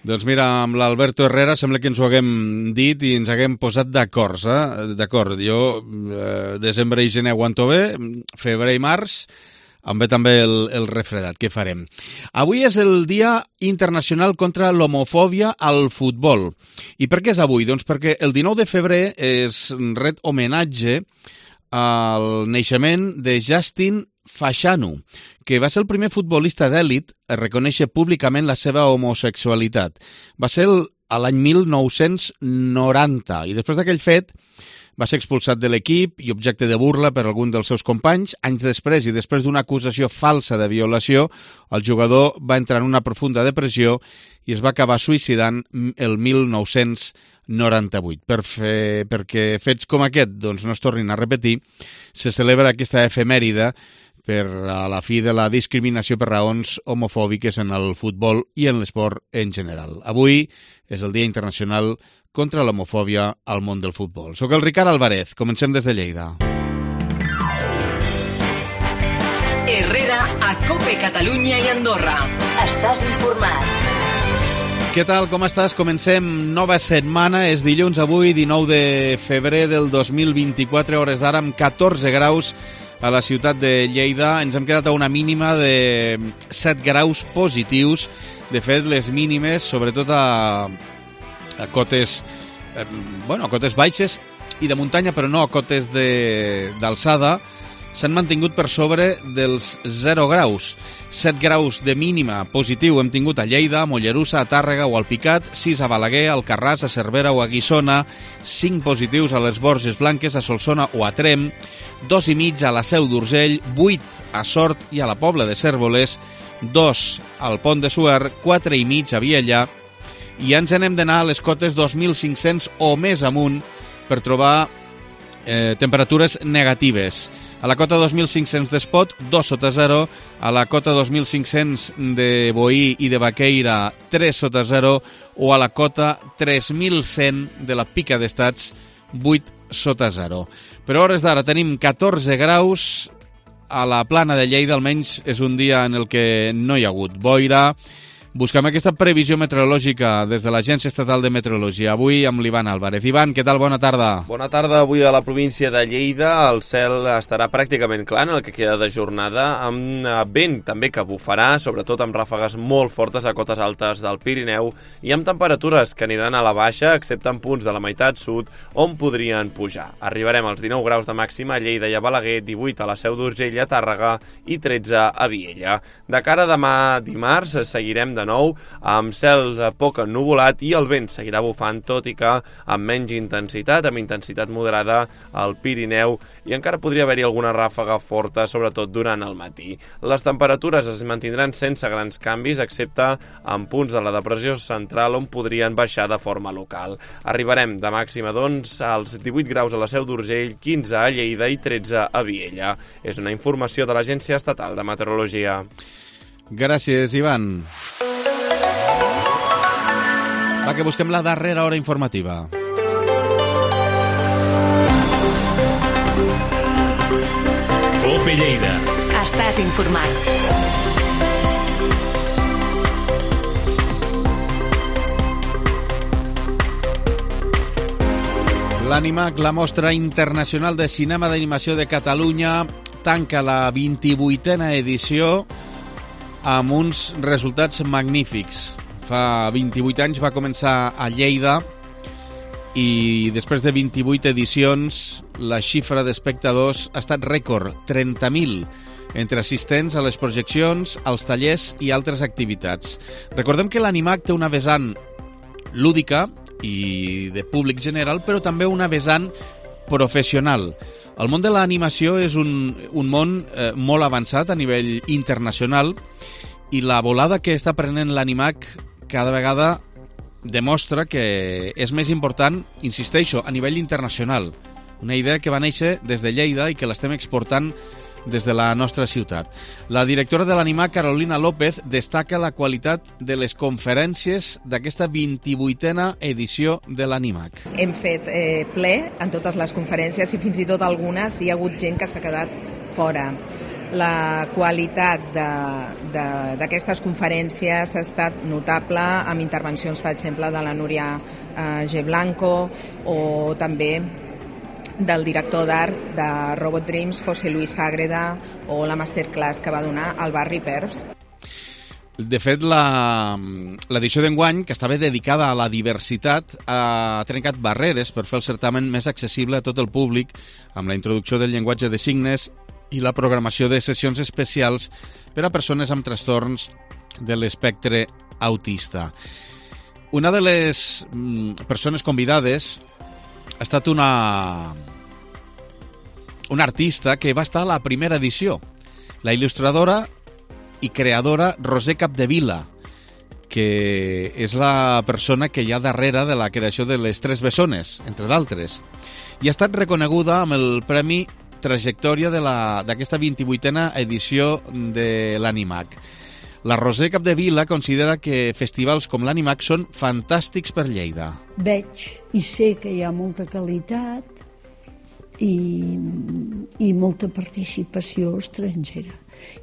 Doncs mira, amb l'Alberto Herrera sembla que ens ho haguem dit i ens haguem posat d'acord, D'acord, jo desembre i gener aguanto bé, febrer i març em ve també el refredat. Què farem? Avui és el Dia Internacional contra l'Homofòbia al Futbol. I per què és avui? Doncs perquè el 19 de febrer es ret homenatge al naixement de Justin Fashanu, que va ser el primer futbolista d'èlit a reconèixer públicament la seva homosexualitat. Va ser a l'any 1990 i després d'aquell fet va ser expulsat de l'equip i objecte de burla per algun dels seus companys. Anys després i després d'una acusació falsa de violació, el jugador va entrar en una profunda depressió i es va acabar suïcidant el 1998. Perquè fets com aquest doncs, no es tornin a repetir, se celebra aquesta efemèride per a la fi de la discriminació per raons homofòbiques en el futbol i en l'esport en general. Avui és el Dia Internacional contra l'Homofòbia al món del futbol. Soc el Ricard Alvarez, comencem des de Lleida. Herrera a COPE Catalunya i Andorra. Estàs informat. Què tal, com estàs? Comencem nova setmana, és dilluns avui, 19 de febrer del 2024, hores d'ara amb 14 graus a la ciutat de Lleida. Ens hem quedat a una mínima de 7 graus positius. De fet, les mínimes, sobretot a cotes, a cotes baixes i de muntanya, però no a cotes d'alçada, s'han mantingut per sobre dels 0 graus. 7 graus de mínima positiu hem tingut a Lleida, a Mollerussa, a Tàrrega o al Picat, 6 a Balaguer, a Alcarràs, a Cervera o a Guissona, 5 positius a les Borges Blanques, a Solsona o a Trem, 2,5 a la Seu d'Urgell, 8 a Sort i a la Pobla de Cérvoles, 2 al Pont de Suert, 4,5 a Viella, i ja ens n'hem d'anar a les cotes 2.500 o més amunt per trobar temperatures negatives. A la cota 2.500 d'Espot, 2 sota 0. A la cota 2.500 de Boí i de Baqueira, 3 sota 0. O a la cota 3.100 de la Pica d'Estats, 8 sota 0. Per hores d'ara tenim 14 graus. A la Plana de Lleida almenys és un dia en el que no hi ha hagut boira. Buscam aquesta previsió meteorològica des de l'Agència Estatal de Meteorologia. Avui amb l'Ivan Álvarez. Ivan, què tal? Bona tarda. Bona tarda. Avui a la província de Lleida el cel estarà pràcticament clar en el que queda de jornada, amb vent també que bufarà, sobretot amb ràfegues molt fortes a cotes altes del Pirineu i amb temperatures que aniran a la baixa, excepte en punts de la meitat sud on podrien pujar. Arribarem als 19 graus de màxima a Lleida i a Balaguer, 18 a la Seu d'Urgell, a Tàrrega i 13 a Viella. De cara a demà dimarts seguirem de nou amb cel poc ennuvolat i el vent seguirà bufant, tot i que amb menys intensitat, amb intensitat moderada al Pirineu, i encara podria haver-hi alguna ràfega forta, sobretot durant el matí. Les temperatures es mantindran sense grans canvis, excepte en punts de la depressió central on podrien baixar de forma local. Arribarem de màxima, doncs, als 18 graus a la Seu d'Urgell, 15 a Lleida i 13 a Viella. És una informació de l'Agència Estatal de Meteorologia. Gràcies, Ivan. Va, que busquem la darrera hora informativa. COPE Lleida. Estàs informat. L'Animac, la Mostra Internacional de Cinema d'Animació de Catalunya, tanca la 28a edició amb uns resultats magnífics. Fa 28 anys va començar a Lleida i després de 28 edicions la xifra d'espectadors ha estat rècord, 30.000, entre assistents a les projeccions, als tallers i altres activitats. Recordem que l'Animac té una vessant lúdica i de públic general, però també una vessant professional. El món de l'animació és un món molt avançat a nivell internacional i la volada que està prenent l'Animac cada vegada demostra que és més important, insisteixo, a nivell internacional. Una idea que va néixer des de Lleida i que l'estem exportant des de la nostra ciutat. La directora de l'Animac, Carolina López, destaca la qualitat de les conferències d'aquesta 28a edició de l'Animac. Hem fet ple en totes les conferències i fins i tot algunes hi ha hagut gent que s'ha quedat fora. La qualitat d'aquestes conferències ha estat notable, amb intervencions, per exemple, de la Núria G. Blanco o també del director d'art de Robot Dreams, José Luis Ágreda, o la masterclass que va donar al Barry Perbs. De fet, l'edició d'enguany, que estava dedicada a la diversitat, ha trencat barreres per fer el certamen més accessible a tot el públic, amb la introducció del llenguatge de signes i la programació de sessions especials per a persones amb trastorns de l'espectre autista. Una de les persones convidades ha estat una artista que va estar a la primera edició, la il·lustradora i creadora Roser Capdevila, que és la persona que hi ha darrere de la creació de les Tres Bessones, entre d'altres. I ha estat reconeguda amb el Premi Trajectòria d'aquesta 28a edició de l'Animac. La Roser Capdevila considera que festivals com l'Animac són fantàstics per Lleida. Veig i sé que hi ha molta qualitat i molta participació estrangera.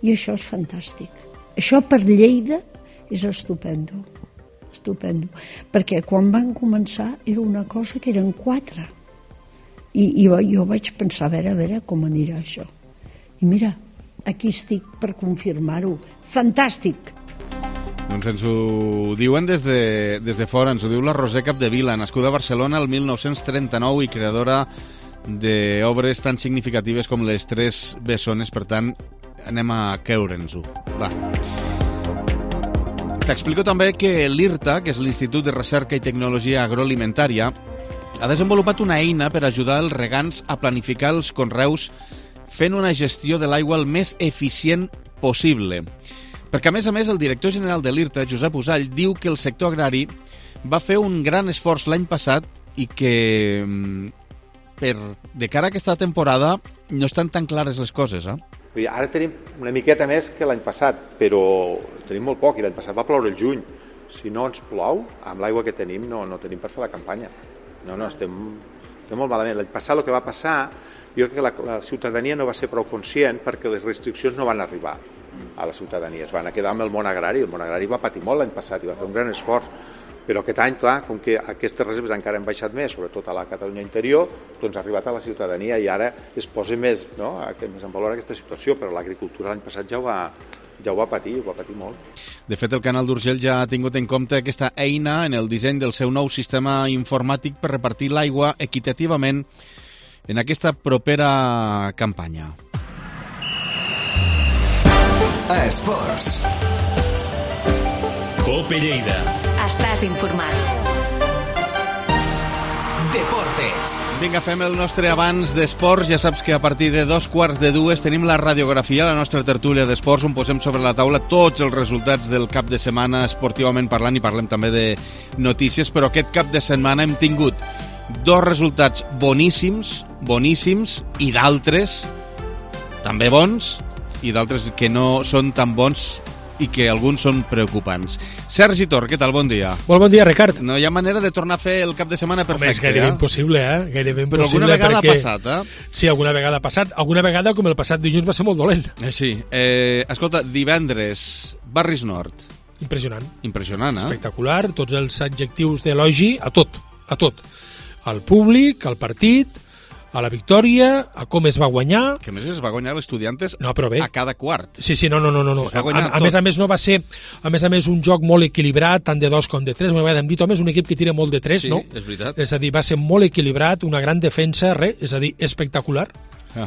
I això és fantàstic. Això per Lleida és estupendo. Estupendo. Perquè quan van començar era una cosa que eren 4. I jo vaig pensar, a veure com anirà això. I mira, aquí estic per confirmar-ho. Fantàstic! Doncs ens ho diuen des de fora, ens ho diu la Roser Capdevila, nascuda a Barcelona el 1939 i creadora d'obres tan significatives com les Tres Bessones, per tant, anem a creure'ns-ho. Va. T'explico també que l'IRTA, que és l'Institut de Recerca i Tecnologia Agroalimentària, ha desenvolupat una eina per ajudar els regants a planificar els conreus fent una gestió de l'aigua el més eficient possible. Perquè, a més, el director general de l'IRTA, Josep Usall, diu que el sector agrari va fer un gran esforç l'any passat i que de cara a aquesta temporada no estan tan clares les coses, Ara tenim una miqueta més que l'any passat, però tenim molt poc, i l'any passat va ploure el juny. Si no ens plou, amb l'aigua que tenim no tenim per fer la campanya. No, estem molt malament. L'any passat el que va passar, jo crec que la ciutadania no va ser prou conscient perquè les restriccions no van arribar a la ciutadania. Es van quedar amb el món agrari. El món agrari va patir molt l'any passat i va fer un gran esforç. Però aquest any, clar, com que aquestes reserves encara han baixat més, sobretot a la Catalunya interior, doncs ha arribat a la ciutadania i ara es posa més en valor aquesta situació, però l'agricultura l'any passat ja ho va patir molt. De fet, el Canal d'Urgell ja ha tingut en compte aquesta eina en el disseny del seu nou sistema informàtic per repartir l'aigua equitativament en aquesta propera campanya. Esports. Cope Lleida. Estàs informat. Deportes. Vinga, fem el nostre abans d'esports. Ja saps que a partir de 2:45 tenim la radiografia, la nostra tertúlia d'esports, on posem sobre la taula tots els resultats del cap de setmana esportivament parlant, i parlem també de notícies, però aquest cap de setmana hem tingut 2 resultats boníssims, i d'altres també bons, i d'altres que no són tan bons i que alguns són preocupants. Sergi Tor, què tal? Bon dia. Molt bon dia, Ricard. No hi ha manera de tornar a fer el cap de setmana perfecte. Home, és gairebé impossible, Gairebé impossible. Però alguna vegada ha passat, Sí, alguna vegada ha passat. Alguna vegada, com el passat dilluns, va ser molt dolent. Sí. Escolta, divendres, Barris Nord. Impressionant, Espectacular, tots els adjectius d'elogi a tot. Al públic, al partit, a la victòria, a com es va guanyar. Que a més es va guanyar l'Estudiantes a cada quart. Sí, no. A més no va ser, un joc molt equilibrat, tant de 2 com de 3. M'agrada, hem dit, home, és un equip que tira molt de 3, sí, no? És veritat. És a dir, va ser molt equilibrat, una gran defensa, és a dir, espectacular.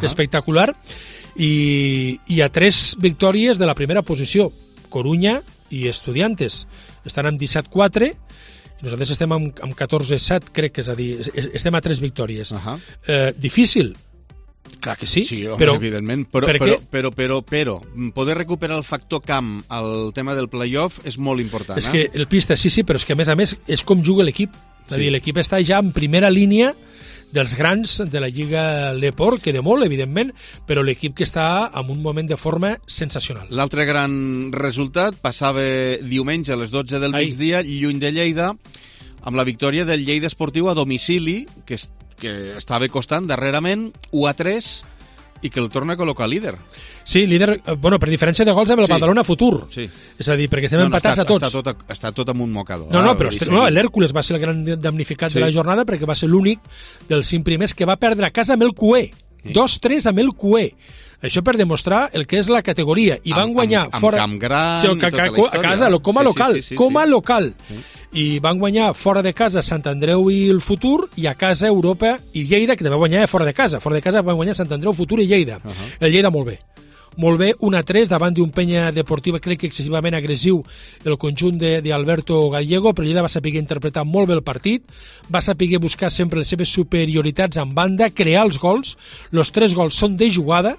Espectacular. I a 3 victòries de la primera posició, Corunya i Estudiantes. Estan amb 17-4, i nosaltres estem amb 14-7, crec que és a dir, estem a 3 victòries. Difícil? Clar que sí. Sí, home, però, evidentment, però poder recuperar el factor camp al tema del playoff és molt important. És que el pista, sí, però és que a més és com juga l'equip. És a dir, l'equip està ja en primera línia dels grans de la Lliga Leport, que de molt, evidentment, però l'equip que està en un moment de forma sensacional. L'altre gran resultat passava diumenge a les 12 del migdia, lluny de Lleida, amb la victòria del Lleida Esportiu a domicili, que estava costant darrerament 1-3 i que el torna a col·locar líder. Sí, líder, bueno, per diferència de gols amb el Badalona Futur. Sí. És a dir, perquè estem empatats a tots. Està tot amb un mocador. No, però l'Hèrcules va ser el gran damnificat de la jornada perquè va ser l'únic dels 5 primers que va perdre a casa amb el QE. 2-3 amb el QE. Això per demostrar el que és la categoria. I van guanyar fora... Amb Camp Gran, tota la història. A casa, com a local. Com a local. I van guanyar fora de casa Sant Andreu i el Futur, i a casa Europa i Lleida, que també va guanyar fora de casa. Fora de casa van guanyar Sant Andreu, Futur i Lleida. El Lleida molt bé. Molt bé, 1-3 davant d'un Penya Deportiva, crec que excessivament agressiu el conjunt d'Alberto Gallego, però Lleida va saber interpretar molt bé el partit, va saber buscar sempre les seves superioritats en banda, crear els gols, els 3 gols són de jugada,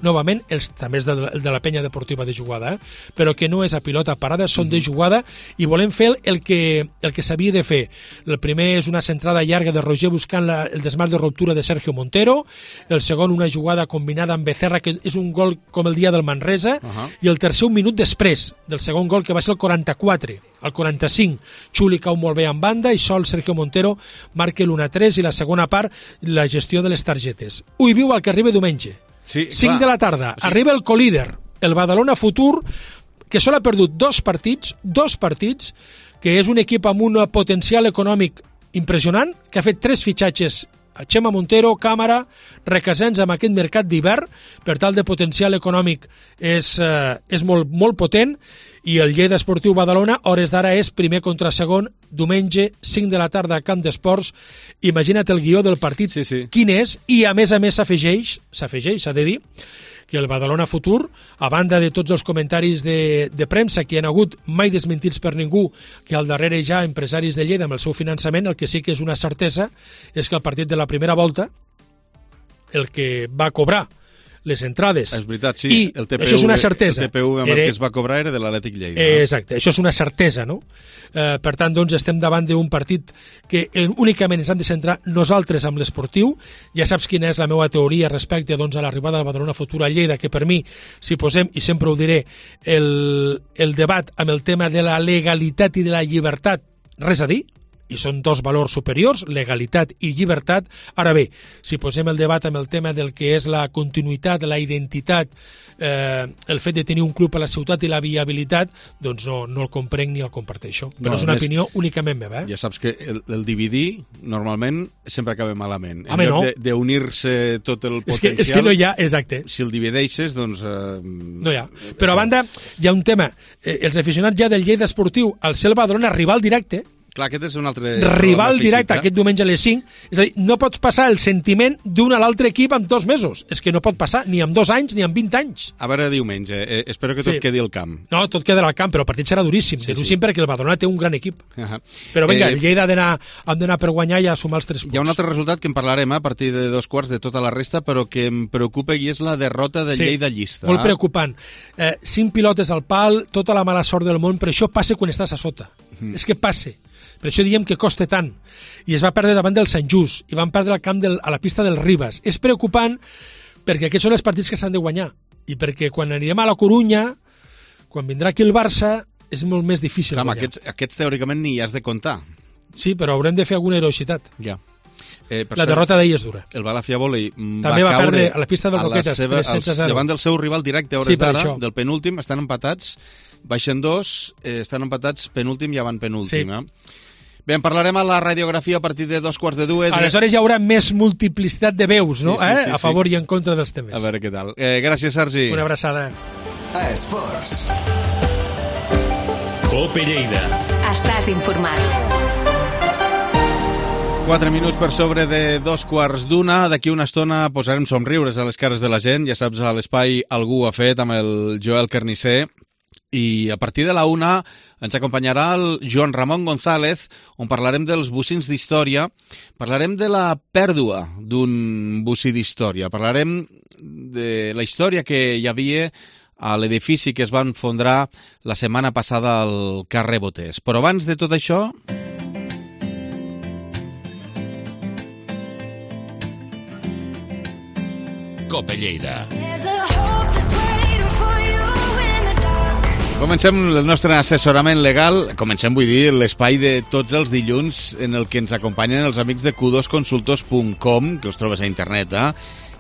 novament, també és de la Penya Deportiva de jugada, però que no és a pilota parada, són de jugada, i volem fer el que s'havia de fer. El primer és una centrada llarga de Roger buscant el desmarc de ruptura de Sergio Montero, el segon una jugada combinada amb Becerra, que és un gol com el dia del Manresa, i el tercer un minut després del segon gol, que va ser el 44. Al 45, Xuli cau molt bé en banda i sol Sergio Montero marca l'1-3 i la segona part, la gestió de les targetes. Ui, viu el que arriba diumenge. 5 de la tarda, arriba el colíder, el Badalona Futur, que sol ha perdut 2 partits, que és un equip amb un potencial econòmic impressionant, que ha fet 3 fitxatges, Chema Montero, Càmara, Requesens amb aquest mercat d'hivern, per tal de potencial econòmic és molt, molt potent, i el Lleida Esportiu Badalona, hores d'ara, és primer contra segon, diumenge, 5 de la tarda a Camp d'Esports. Imagina't el guió del partit, quin és, i a més s'afegeix, s'ha de dir, que el Badalona Futur, a banda de tots els comentaris de premsa que hi ha hagut mai desmentits per ningú, que al darrere ja empresaris de Lleida amb el seu finançament, el que sí que és una certesa és que el partit de la primera volta, el que va cobrar les entrades... És veritat, sí. I el TPU, això és una certesa. El TPU amb el que es va cobrar era de l'Atlètic Lleida. Exacte, això és una certesa, no? Per tant, doncs, estem davant d'un partit que únicament ens hem de centrar nosaltres amb l'esportiu. Ja saps quina és la meva teoria respecte doncs, a l'arribada del Badalona Futur a Lleida, que per mi, si posem, i sempre ho diré, el debat amb el tema de la legalitat i de la llibertat, res a dir, i són 2 valors superiors, legalitat i llibertat. Ara bé, si posem el debat amb el tema del que és la continuïtat, la identitat, el fet de tenir un club a la ciutat i la viabilitat, doncs no el comprenc ni el comparteixo. Però és una opinió únicament meva. Ja saps que el dividir normalment sempre acaba malament. En lloc d'unir-se tot el potencial... És que no hi ha, exacte. Si el divideixes, doncs... No hi ha. Però a banda, hi ha un tema. Els aficionats ja del Lleida Esportiu, al ser el Badalona rival directe, clar, aquest és un altre... rival directe aquest diumenge a les 5. És a dir, no pots passar el sentiment d'un a l'altre equip en 2 mesos. És que no pot passar ni amb 2 anys ni amb 20 anys. A veure, diumenge. Espero que tot quedi al camp. No, tot quedarà al camp, però el partit serà duríssim. Duríssim perquè el Badalona té un gran equip. Però vinga, el Lleida hem d'anar per guanyar i a sumar els 3 punts. Hi ha un altre resultat que en parlarem a partir de 2 quarts de tota la resta, però que em preocupa i és la derrota de Lleida Llista. Molt preocupant. 5 pilotes al pal, tota la mala sort del món, però això passa quan estàs a sota. És que passa. Per això diem que costa tant. I es va perdre davant del Sant Just, i van perdre al camp a la pista del Ribas. És preocupant perquè aquests són els partits que s'han de guanyar. I perquè quan anirem a la Corunya, quan vindrà aquí el Barça, és molt més difícil guanyar. Aquests teòricament ni has de comptar. Sí, però haurem de fer alguna heroïcitat. Ja. La derrota d'ahir és dura. El Balafia Volley també va perdre a la pista del Roquetes 3-0. Davant del seu rival directe a hores d'ara, del penúltim, estan empatats, baixen 2, estan empatats penúltim i avant penúltim. Bé, en parlarem a la radiografia a partir de 2:45. Aleshores hi haurà més multiplicitat de veus, no? A favor i en contra dels temes. A veure què tal. Gràcies, Sergi. Una abraçada. Esports. Cope Lleida. Estàs informat. 4 minuts per sobre de 2:15. D'aquí una estona posarem somriures a les cares de la gent. Ja saps, a l'espai Algú ho ha fet amb el Joel Carnisser. I a partir de la 1 ens acompanyarà el Joan Ramon González, on parlarem dels bocins d'història, parlarem de la pèrdua d'un bocí d'història, parlarem de la història que hi havia a l'edifici que es va enfondrar la setmana passada al carrer Boters. Però abans de tot això... Cope Lleida. Comencem el nostre assessorament legal, vull dir, l'espai de tots els dilluns en el que ens acompanyen els amics de q2consultors.com, que els trobes a internet,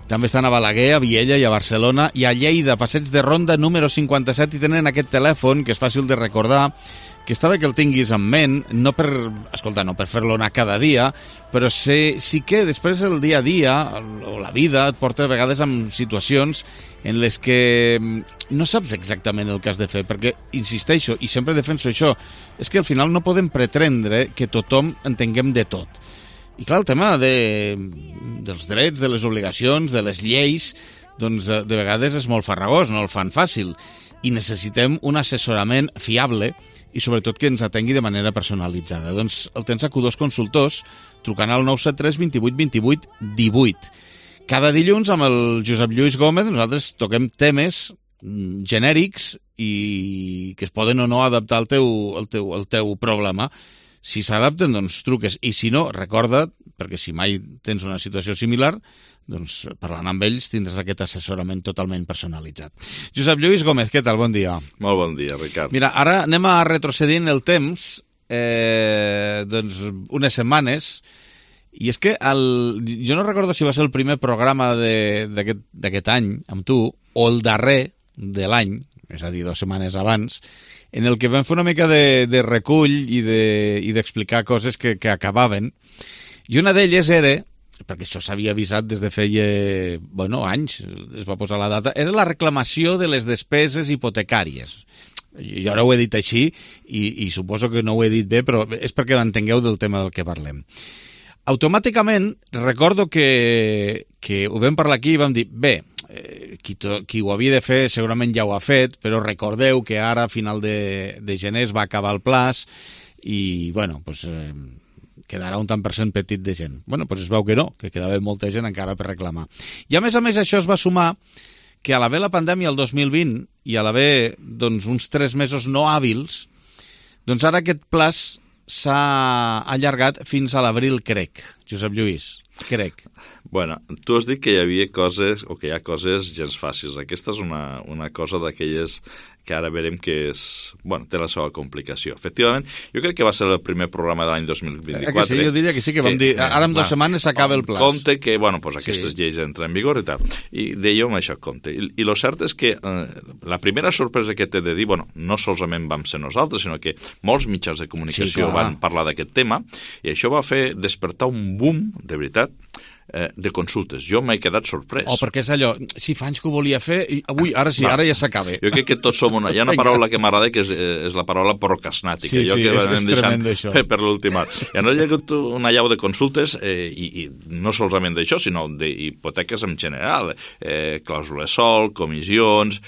També estan a Balaguer, a Viella i a Barcelona, i a Lleida, Passeig de Ronda número 57, i tenen aquest telèfon, que és fàcil de recordar, que està bé que el tinguis en ment, no per fer-lo anar cada dia, però sí que després el dia a dia, o la vida, et porta a vegades en situacions en les que no saps exactament el que has de fer, perquè, insisteixo, i sempre defenso això, és que al final no podem pretendre que tothom entenguem de tot. I clar, el tema dels drets, de les obligacions, de les lleis, doncs de vegades és molt farragós, no el fan fàcil, i necessitem un assessorament fiable i sobretot que ens atengui de manera personalitzada. Doncs el tens a Q2 Consultors, trucant al 973 28 28 18. Cada dilluns amb el Josep Lluís Gómez nosaltres toquem temes genèrics i que es poden o no adaptar al teu problema. Si s'adapten, doncs truques. I si no, recorda't, perquè si mai tens una situació similar, doncs parlant amb ells tindràs aquest assessorament totalment personalitzat. Josep Lluís Gómez, què tal? Bon dia. Molt bon dia, Ricard. Mira, ara anem a retrocedir en el temps, doncs unes setmanes, i és que jo no recordo si va ser el primer programa d'aquest any amb tu, o el darrer de l'any, és a dir, 2 setmanes abans, en el que vam fer una mica de recull i d'explicar coses que acabaven. I una d'elles era, perquè això s'havia avisat des de feia anys, es va posar la data, era la reclamació de les despeses hipotecàries. Jo ara ho he dit així i suposo que no ho he dit bé, però és perquè m'entengueu del tema del que parlem. Automàticament recordo que ho vam parlar aquí i vam dir, bé, qui ho havia de fer segurament ja ho ha fet, però recordeu que ara a final de gener es va acabar el plaç i, bueno, doncs quedarà un tant per cent petit de gent. Bueno, doncs es veu que no, que quedava molta gent encara per reclamar. I a més això es va sumar que a l'haver la pandèmia el 2020 i a l'haver doncs, uns 3 mesos no hàbils, doncs ara aquest plaç s'ha allargat fins a l'abril, crec. Josep Lluís, crec. Bueno, tu has dit que hi havia coses, o que hi ha coses gens fàcils. Aquesta és una cosa d'aquelles que ara veurem que té la seva complicació. Efectivament, jo crec que va ser el primer programa de l'any 2024. Que sí, jo diria que sí, que vam dir, ara en 2 setmanes s'acaba el plaç. Compte que, aquestes lleis entren en vigor i tal. I dèiem això, compte. I el cert és que la primera sorpresa que t'he de dir, no solament vam ser nosaltres, sinó que molts mitjans de comunicació van parlar d'aquest tema, i això va fer despertar un boom, de veritat, de consultes. Jo m'he quedat sorprès. Perquè és allò, si fa anys que ho volia fer, i avui, ara sí, ara ja s'acaba. Jo crec que tots som hi ha una paraula que m'agrada que és la paraula procrasnàtica. Sí, és tremendo això. Per l'últim any. I no hi ha hagut una llau de consultes, i no solament d'això, sinó d'hipoteques en general. Clàusules sol, comissions,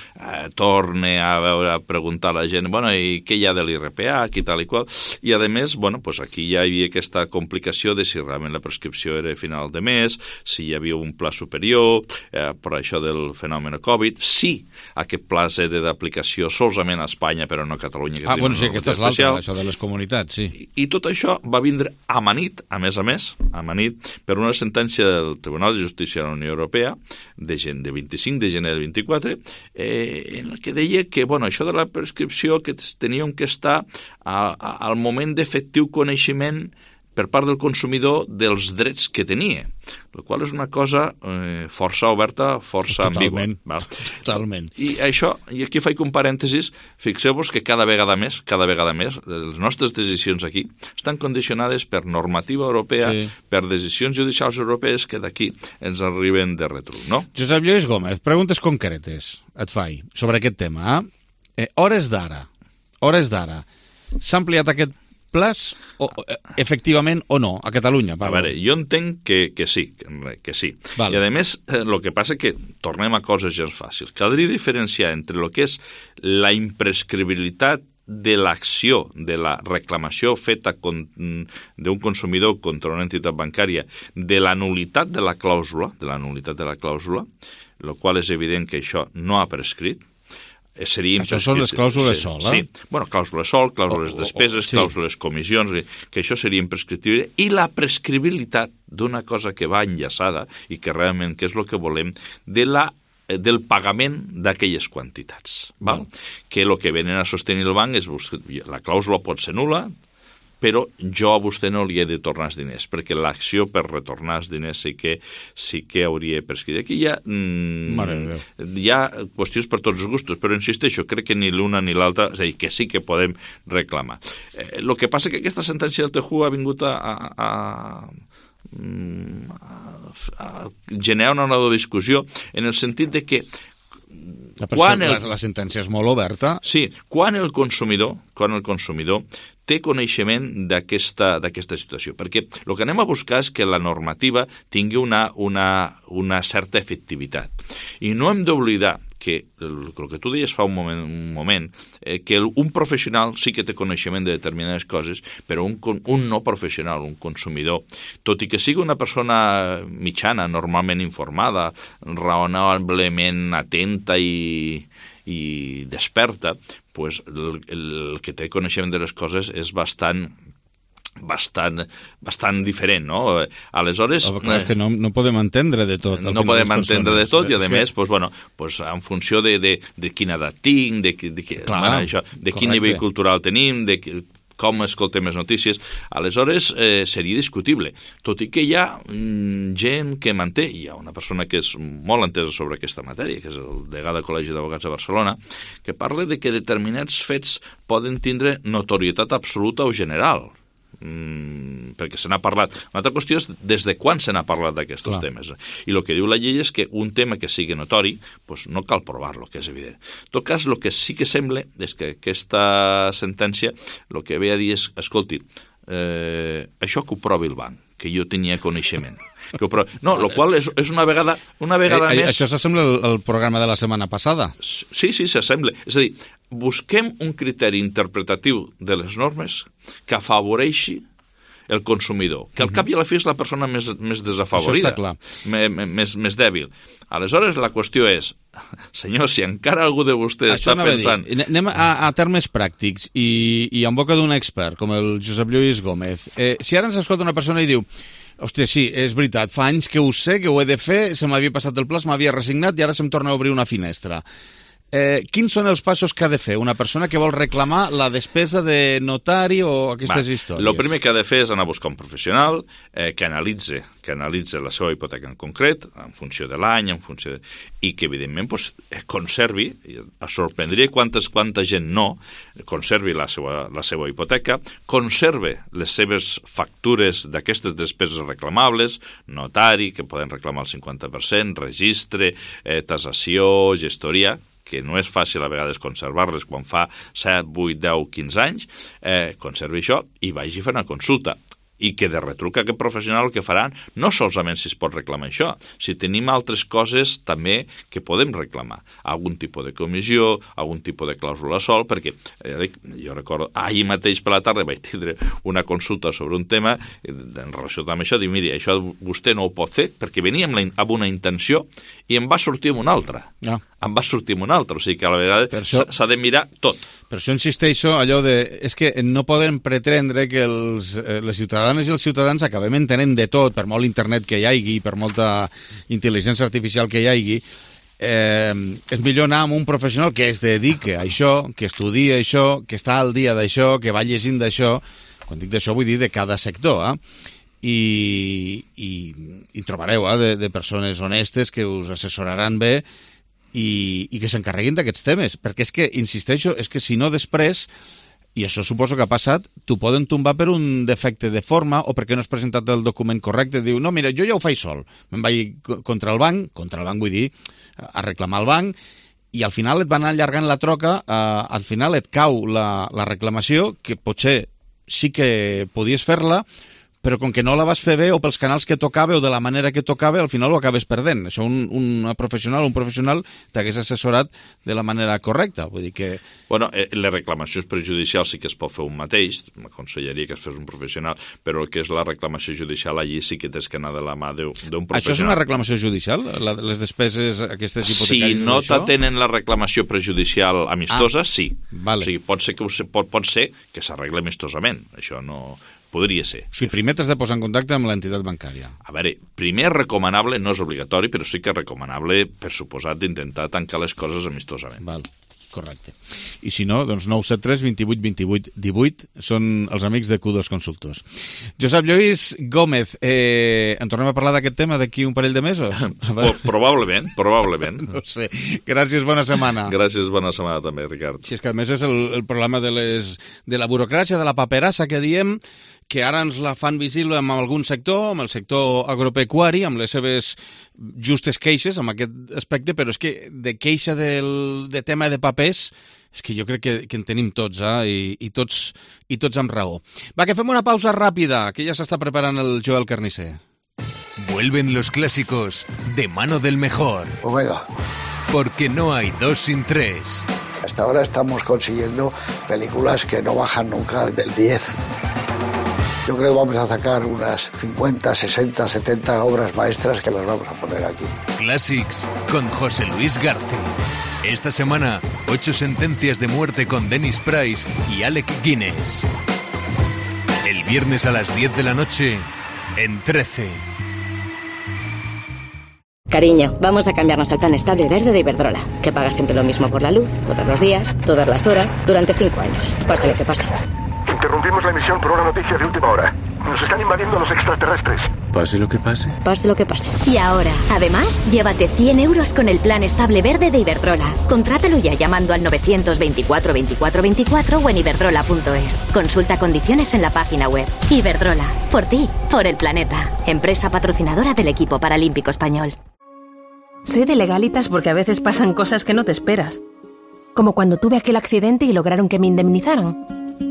torne a preguntar a la gent, i què hi ha de l'IRPH, i tal i qual. I a més, aquí ja hi havia aquesta complicació de si realment la prescripció era a final de mes, si hi havia un pla superior, per això del fenomen Covid, si aquest pla era d'aplicació solament a Espanya, però no a Catalunya. Sí, aquesta és l'altra, això de les comunitats, sí. I tot això va vindre amanit, a més, amanit per una sentència del Tribunal de Justícia de la Unió Europea de 25 de gener del 24, en el que deia que, això de la prescripció que teníem que estar al moment d'efectiu coneixement per part del consumidor dels drets que tenia, el qual és una cosa força oberta, força ambigua. Totalment. I aquí faig un parèntesis, fixeu-vos que cada vegada més, les nostres decisions aquí estan condicionades per normativa europea, per decisions judicials europees que d'aquí ens arriben de retruc, no? Josep Lluís Gómez, preguntes concretes et faig sobre aquest tema. Hores d'ara, s'ha ampliat aquest plaç, efectivament o no, a Catalunya? A veure, jo entenc que sí. I a més, el que passa que tornem a coses gens fàcils. Caldria diferenciar entre el que és la imprescriptibilitat de l'acció, de la reclamació feta d'un consumidor contra una entitat bancària, de la nulitat de la clàusula, el qual és evident que això no ha prescrit. Això són les clàusules sol, Sí, clàusules sol, clàusules despeses, clàusules comissions, que això seria imprescriptible, i la prescriptibilitat d'una cosa que va enllaçada i que realment que és el que volem, del pagament d'aquelles quantitats. Que el que venen a sostenir el banc és la clàusula pot ser nul·la, però jo a vostè no li he de tornar els diners, perquè l'acció per retornar els diners sí que hauria prescrit. Aquí hi ha qüestions per tots els gustos, però insisteixo, crec que ni l'una ni l'altra, és a dir, que sí que podem reclamar. El que passa que aquesta sentència del TJU ha vingut a generar una nova discussió en el sentit de que la sentència és molt oberta. Sí, quan el consumidor té coneixement d'aquesta situació. Perquè el que anem a buscar és que la normativa tingui una certa efectivitat. I no hem d'oblidar que, el que tu deies fa un moment que un professional sí que té coneixement de determinades coses, però un no professional, un consumidor, tot i que sigui una persona mitjana, normalment informada, raonablement atenta i desperta, pues el que té coneixement de les coses és bastant diferent, no? Aleshores... Clar, és que no podem entendre de tot. No podem entendre de tot i, a més, en funció de quina edat tinc, de quin nivell cultural tenim, de com escoltem les notícies, aleshores seria discutible. Tot i que hi ha gent que manté, hi ha una persona que és molt entesa sobre aquesta matèria, que és el degà del Col·legi d'Advocats de Barcelona, que parla de que determinats fets poden tindre notorietat absoluta o general, perquè se n'ha parlat. Una altra qüestió és des de quan se n'ha parlat d'aquests temes. I el que diu la llei és que un tema que sigui notori, no cal provar-lo, que és evident. En tot cas, el que sí que sembla és que aquesta sentència el que ve a dir és, escolti, això que ho provi el banc, que jo tenia coneixement. No, el qual és una vegada més... Això s'assembla al programa de la setmana passada? Sí, s'assembla. És a dir, busquem un criteri interpretatiu de les normes que afavoreixi el consumidor, que al cap i a la fi és la persona més desafavorida, més dèbil. Aleshores, la qüestió és, senyor, si encara algú de vostès està pensant... Anem a termes pràctics i en boca d'un expert, com el Josep Lluís Gómez. Si ara ens escolta una persona i diu: hòstia, sí, és veritat, fa anys que ho sé, que ho he de fer, se m'havia passat el pla, m'havia resignat i ara se'm torna a obrir una finestra. Quins són els passos que ha de fer una persona que vol reclamar la despesa de notari o aquestes històries? El primer que ha de fer és anar a buscar un professional que analitzi la seva hipoteca en concret, en funció de l'any, i que, evidentment, conservi, es sorprendria quanta gent no conservi la seva hipoteca, conserve les seves factures d'aquestes despeses reclamables, notari, que poden reclamar el 50%, registre, tasació, gestoria, que no és fàcil a vegades conservar-les quan fa 7, 8, 10, 15 anys, conservi això i vagi a fer una consulta. I que de retruc aquest professional el que faran no solament si es pot reclamar això, si tenim altres coses també que podem reclamar. Algun tipus de comissió, algun tipus de clàusula sol, perquè jo recordo, ahir mateix per la tarda vaig tindre una consulta sobre un tema en relació amb això, dic, miri, això vostè no ho pot fer, perquè veníem amb una intenció i em va sortir amb una altra. Em va sortir amb una altra, o sigui que a la vegada s'ha de mirar tot. Per això insisteixo allò de... És que no podem pretendre que les ciutadanes i els ciutadans acabem entenent de tot, per molt internet que hi hagi, per molta intel·ligència artificial que hi hagi. És millor anar amb un professional que es dedique a això, que estudia això, que està al dia d'això, que va llegint d'això. Quan dic d'això vull dir de cada sector, i trobareu de persones honestes que us assessoraran bé i que s'encarreguin d'aquests temes, perquè és que, insisteixo, és que si no després, i això suposo que ha passat, t'ho poden tombar per un defecte de forma o perquè no has presentat el document correcte, diu, no, mira, jo ja ho faig sol, me'n vaig contra el banc vull dir, a reclamar al banc, i al final et van allargant la troca, al final et cau la reclamació, que potser sí que podies fer-la, però com que no la vas fer bé o pels canals que tocava o de la manera que tocava, al final ho acabes perdent. Això un professional t'hagués assessorat de la manera correcta. Vull dir que... Bueno, les reclamacions prejudicials sí que es pot fer un mateix, m'aconsellaria que es fes un professional, però el que és la reclamació judicial allí sí que tens que anar de la mà d'un professional. Això és una reclamació judicial? Les despeses aquestes hipotecàries? Si no t'atenen la reclamació prejudicial amistosa, sí. Vale. O sigui, pot ser que s'arregli amistosament. Això no... Podria ser. O sigui, primer t'has de posar en contacte amb l'entitat bancària. A veure, primer és recomanable, no és obligatori, però sí que és recomanable, per suposat, d'intentar tancar les coses amistosament. Val. correcte. I si no, doncs 973 28 28 18 són els amics de Q2 Consultors. Josep Lluís Gómez, en tornem a parlar d'aquest tema d'aquí un parell de mesos? Probablement. No sé. Gràcies, bona setmana. Gràcies, bona setmana també, Ricard. Si és que a més és el problema de la burocràcia, de la paperassa que diem, que ara ens la fan visible en algun sector, amb el sector agropecuari, amb les seves justes queixes amb aquest aspecte, però és que de queixa de tema de papers és que jo crec que en tenim tots, i tots amb raó. Va, que fem una pausa ràpida, que ja s'està preparant el Joel Carnicer. Vuelven los clásicos de mano del mejor. Omega. Porque no hay dos sin tres. Hasta ahora estamos consiguiendo películas que no bajan nunca del 10. Yo creo que vamos a sacar unas 50, 60, 70 obras maestras que las vamos a poner aquí. Classics con José Luis García. Esta semana, 8 sentencias de muerte con Dennis Price y Alec Guinness. El viernes a las 10 de la noche, en 13. Cariño, vamos a cambiarnos al plan estable verde de Iberdrola, que paga siempre lo mismo por la luz, todos los días, todas las horas, durante 5 años, pase lo que pase. Interrumpimos la emisión por una noticia de última hora. Nos están invadiendo los extraterrestres. Pase lo que pase. Pase lo que pase. Y ahora, además, llévate 100 euros con el plan estable verde de Iberdrola. Contrátalo ya llamando al 924 24 24 o en iberdrola.es. Consulta condiciones en la página web. Iberdrola, por ti, por el planeta. Empresa patrocinadora del equipo paralímpico español. Soy de Legalitas porque a veces pasan cosas que no te esperas. Como cuando tuve aquel accidente y lograron que me indemnizaran.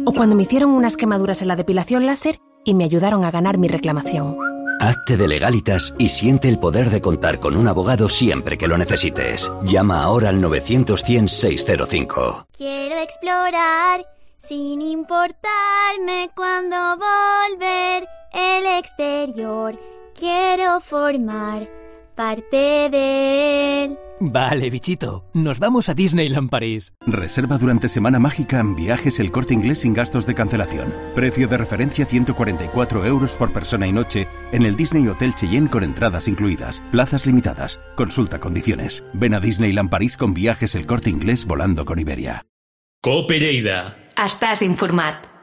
O cuando me hicieron unas quemaduras en la depilación láser y me ayudaron a ganar mi reclamación. Hazte de Legalitas y siente el poder de contar con un abogado siempre que lo necesites. Llama ahora al 900-100-605. Quiero explorar sin importarme cuándo volver el exterior. Quiero formar parte de él. Vale, bichito, nos vamos a Disneyland París. Reserva durante Semana Mágica en Viajes El Corte Inglés sin gastos de cancelación. Precio de referencia 144 euros por persona y noche en el Disney Hotel Cheyenne con entradas incluidas. Plazas limitadas. Consulta condiciones. Ven a Disneyland París con Viajes El Corte Inglés volando con Iberia. Cope Lleida. Estàs informat.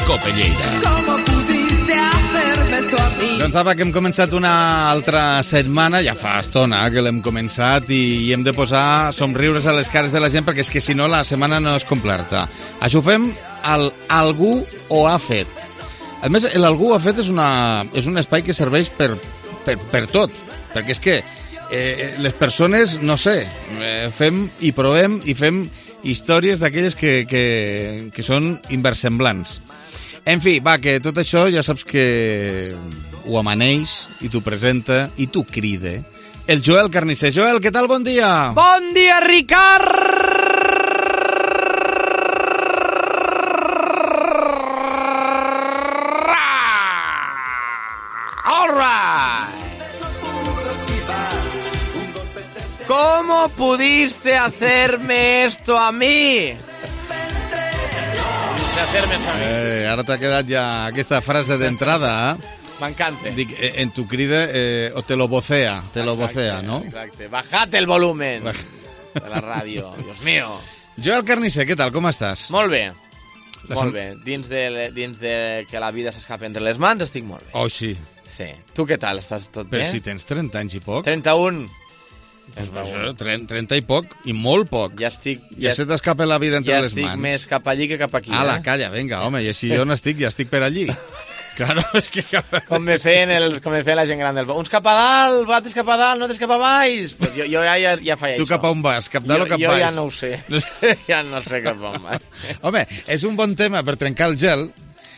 Cope Lleida. Doncs apa, que hem començat una altra setmana, ja fa estona que l'hem començat, i hem de posar somriures a les cares de la gent, perquè és que si no la setmana no és completa. Això ho fem al Algú ho ha fet. A més, l'Algú ho ha fet és un espai que serveix per tot, perquè és que les persones, no sé, fem i provem i fem històries d'aquelles que són inversemblants. En fi, va, que tot això ja saps que ho amaneix i t'ho presenta i t'ho crida el Joel Carnicer. Joel, què tal? Bon dia! Bon dia, Ricard! All right! ¿Cómo pudiste hacerme esto a mí? Ara t'ha quedat ja aquesta frase d'entrada. M'encanta. Dic, en tu crida o te lo vocea, ¿no? Exacte. Bajate el volumen de la ràdio, Dios mío. Joel Carnicer, què tal? Com estàs? Molt bé. Molt bé. Dins de que la vida s'escapa entre les mans, estic molt bé. Oh, sí. Sí. Tu què tal? Estàs tot bé? Però si tens 30 anys i poc. 31. 30 i poc, i molt poc. Ja se t'escapa la vida entre les mans. Ja estic més cap allí que cap aquí. Ala, calla, vinga, home, i si jo no estic, ja estic per allí. Claro, és que... Com me feien la gent gran del... Uns cap a dalt, altres cap a dalt, no altres cap a baix. Pues jo ja faig això. Tu cap a on vas? Cap dalt o cap baix? Jo ja no ho sé. Ja no sé cap a on vas. Home, és un bon tema per trencar el gel,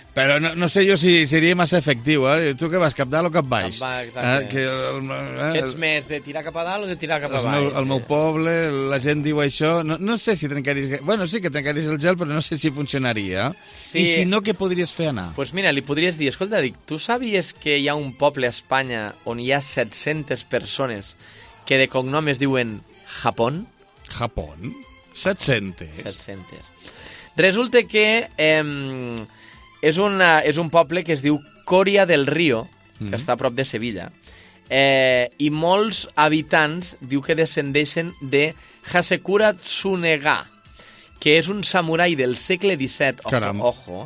però no sé jo si seria massa efectiu, eh? Tu què vas, cap dalt o cap baix? Cap baix, ets més de tirar cap a dalt o de tirar cap a baix? Al meu poble la gent diu això, no sé si trencaries... Bueno, sí que trencaries el gel, però no sé si funcionaria. Sí. I si no, què podries fer anar? Doncs mira, li podries dir, escolta, tu sabies que hi ha un poble a Espanya on hi ha 700 persones que de cognom es diuen Japón? Japón? 700? 700. Resulta que... és un poble que es diu Coria del Río que està a prop de Sevilla. I molts habitants diu que descendeixen de Hasekura Tsunega, que és un samurai del segle XVII, ojo,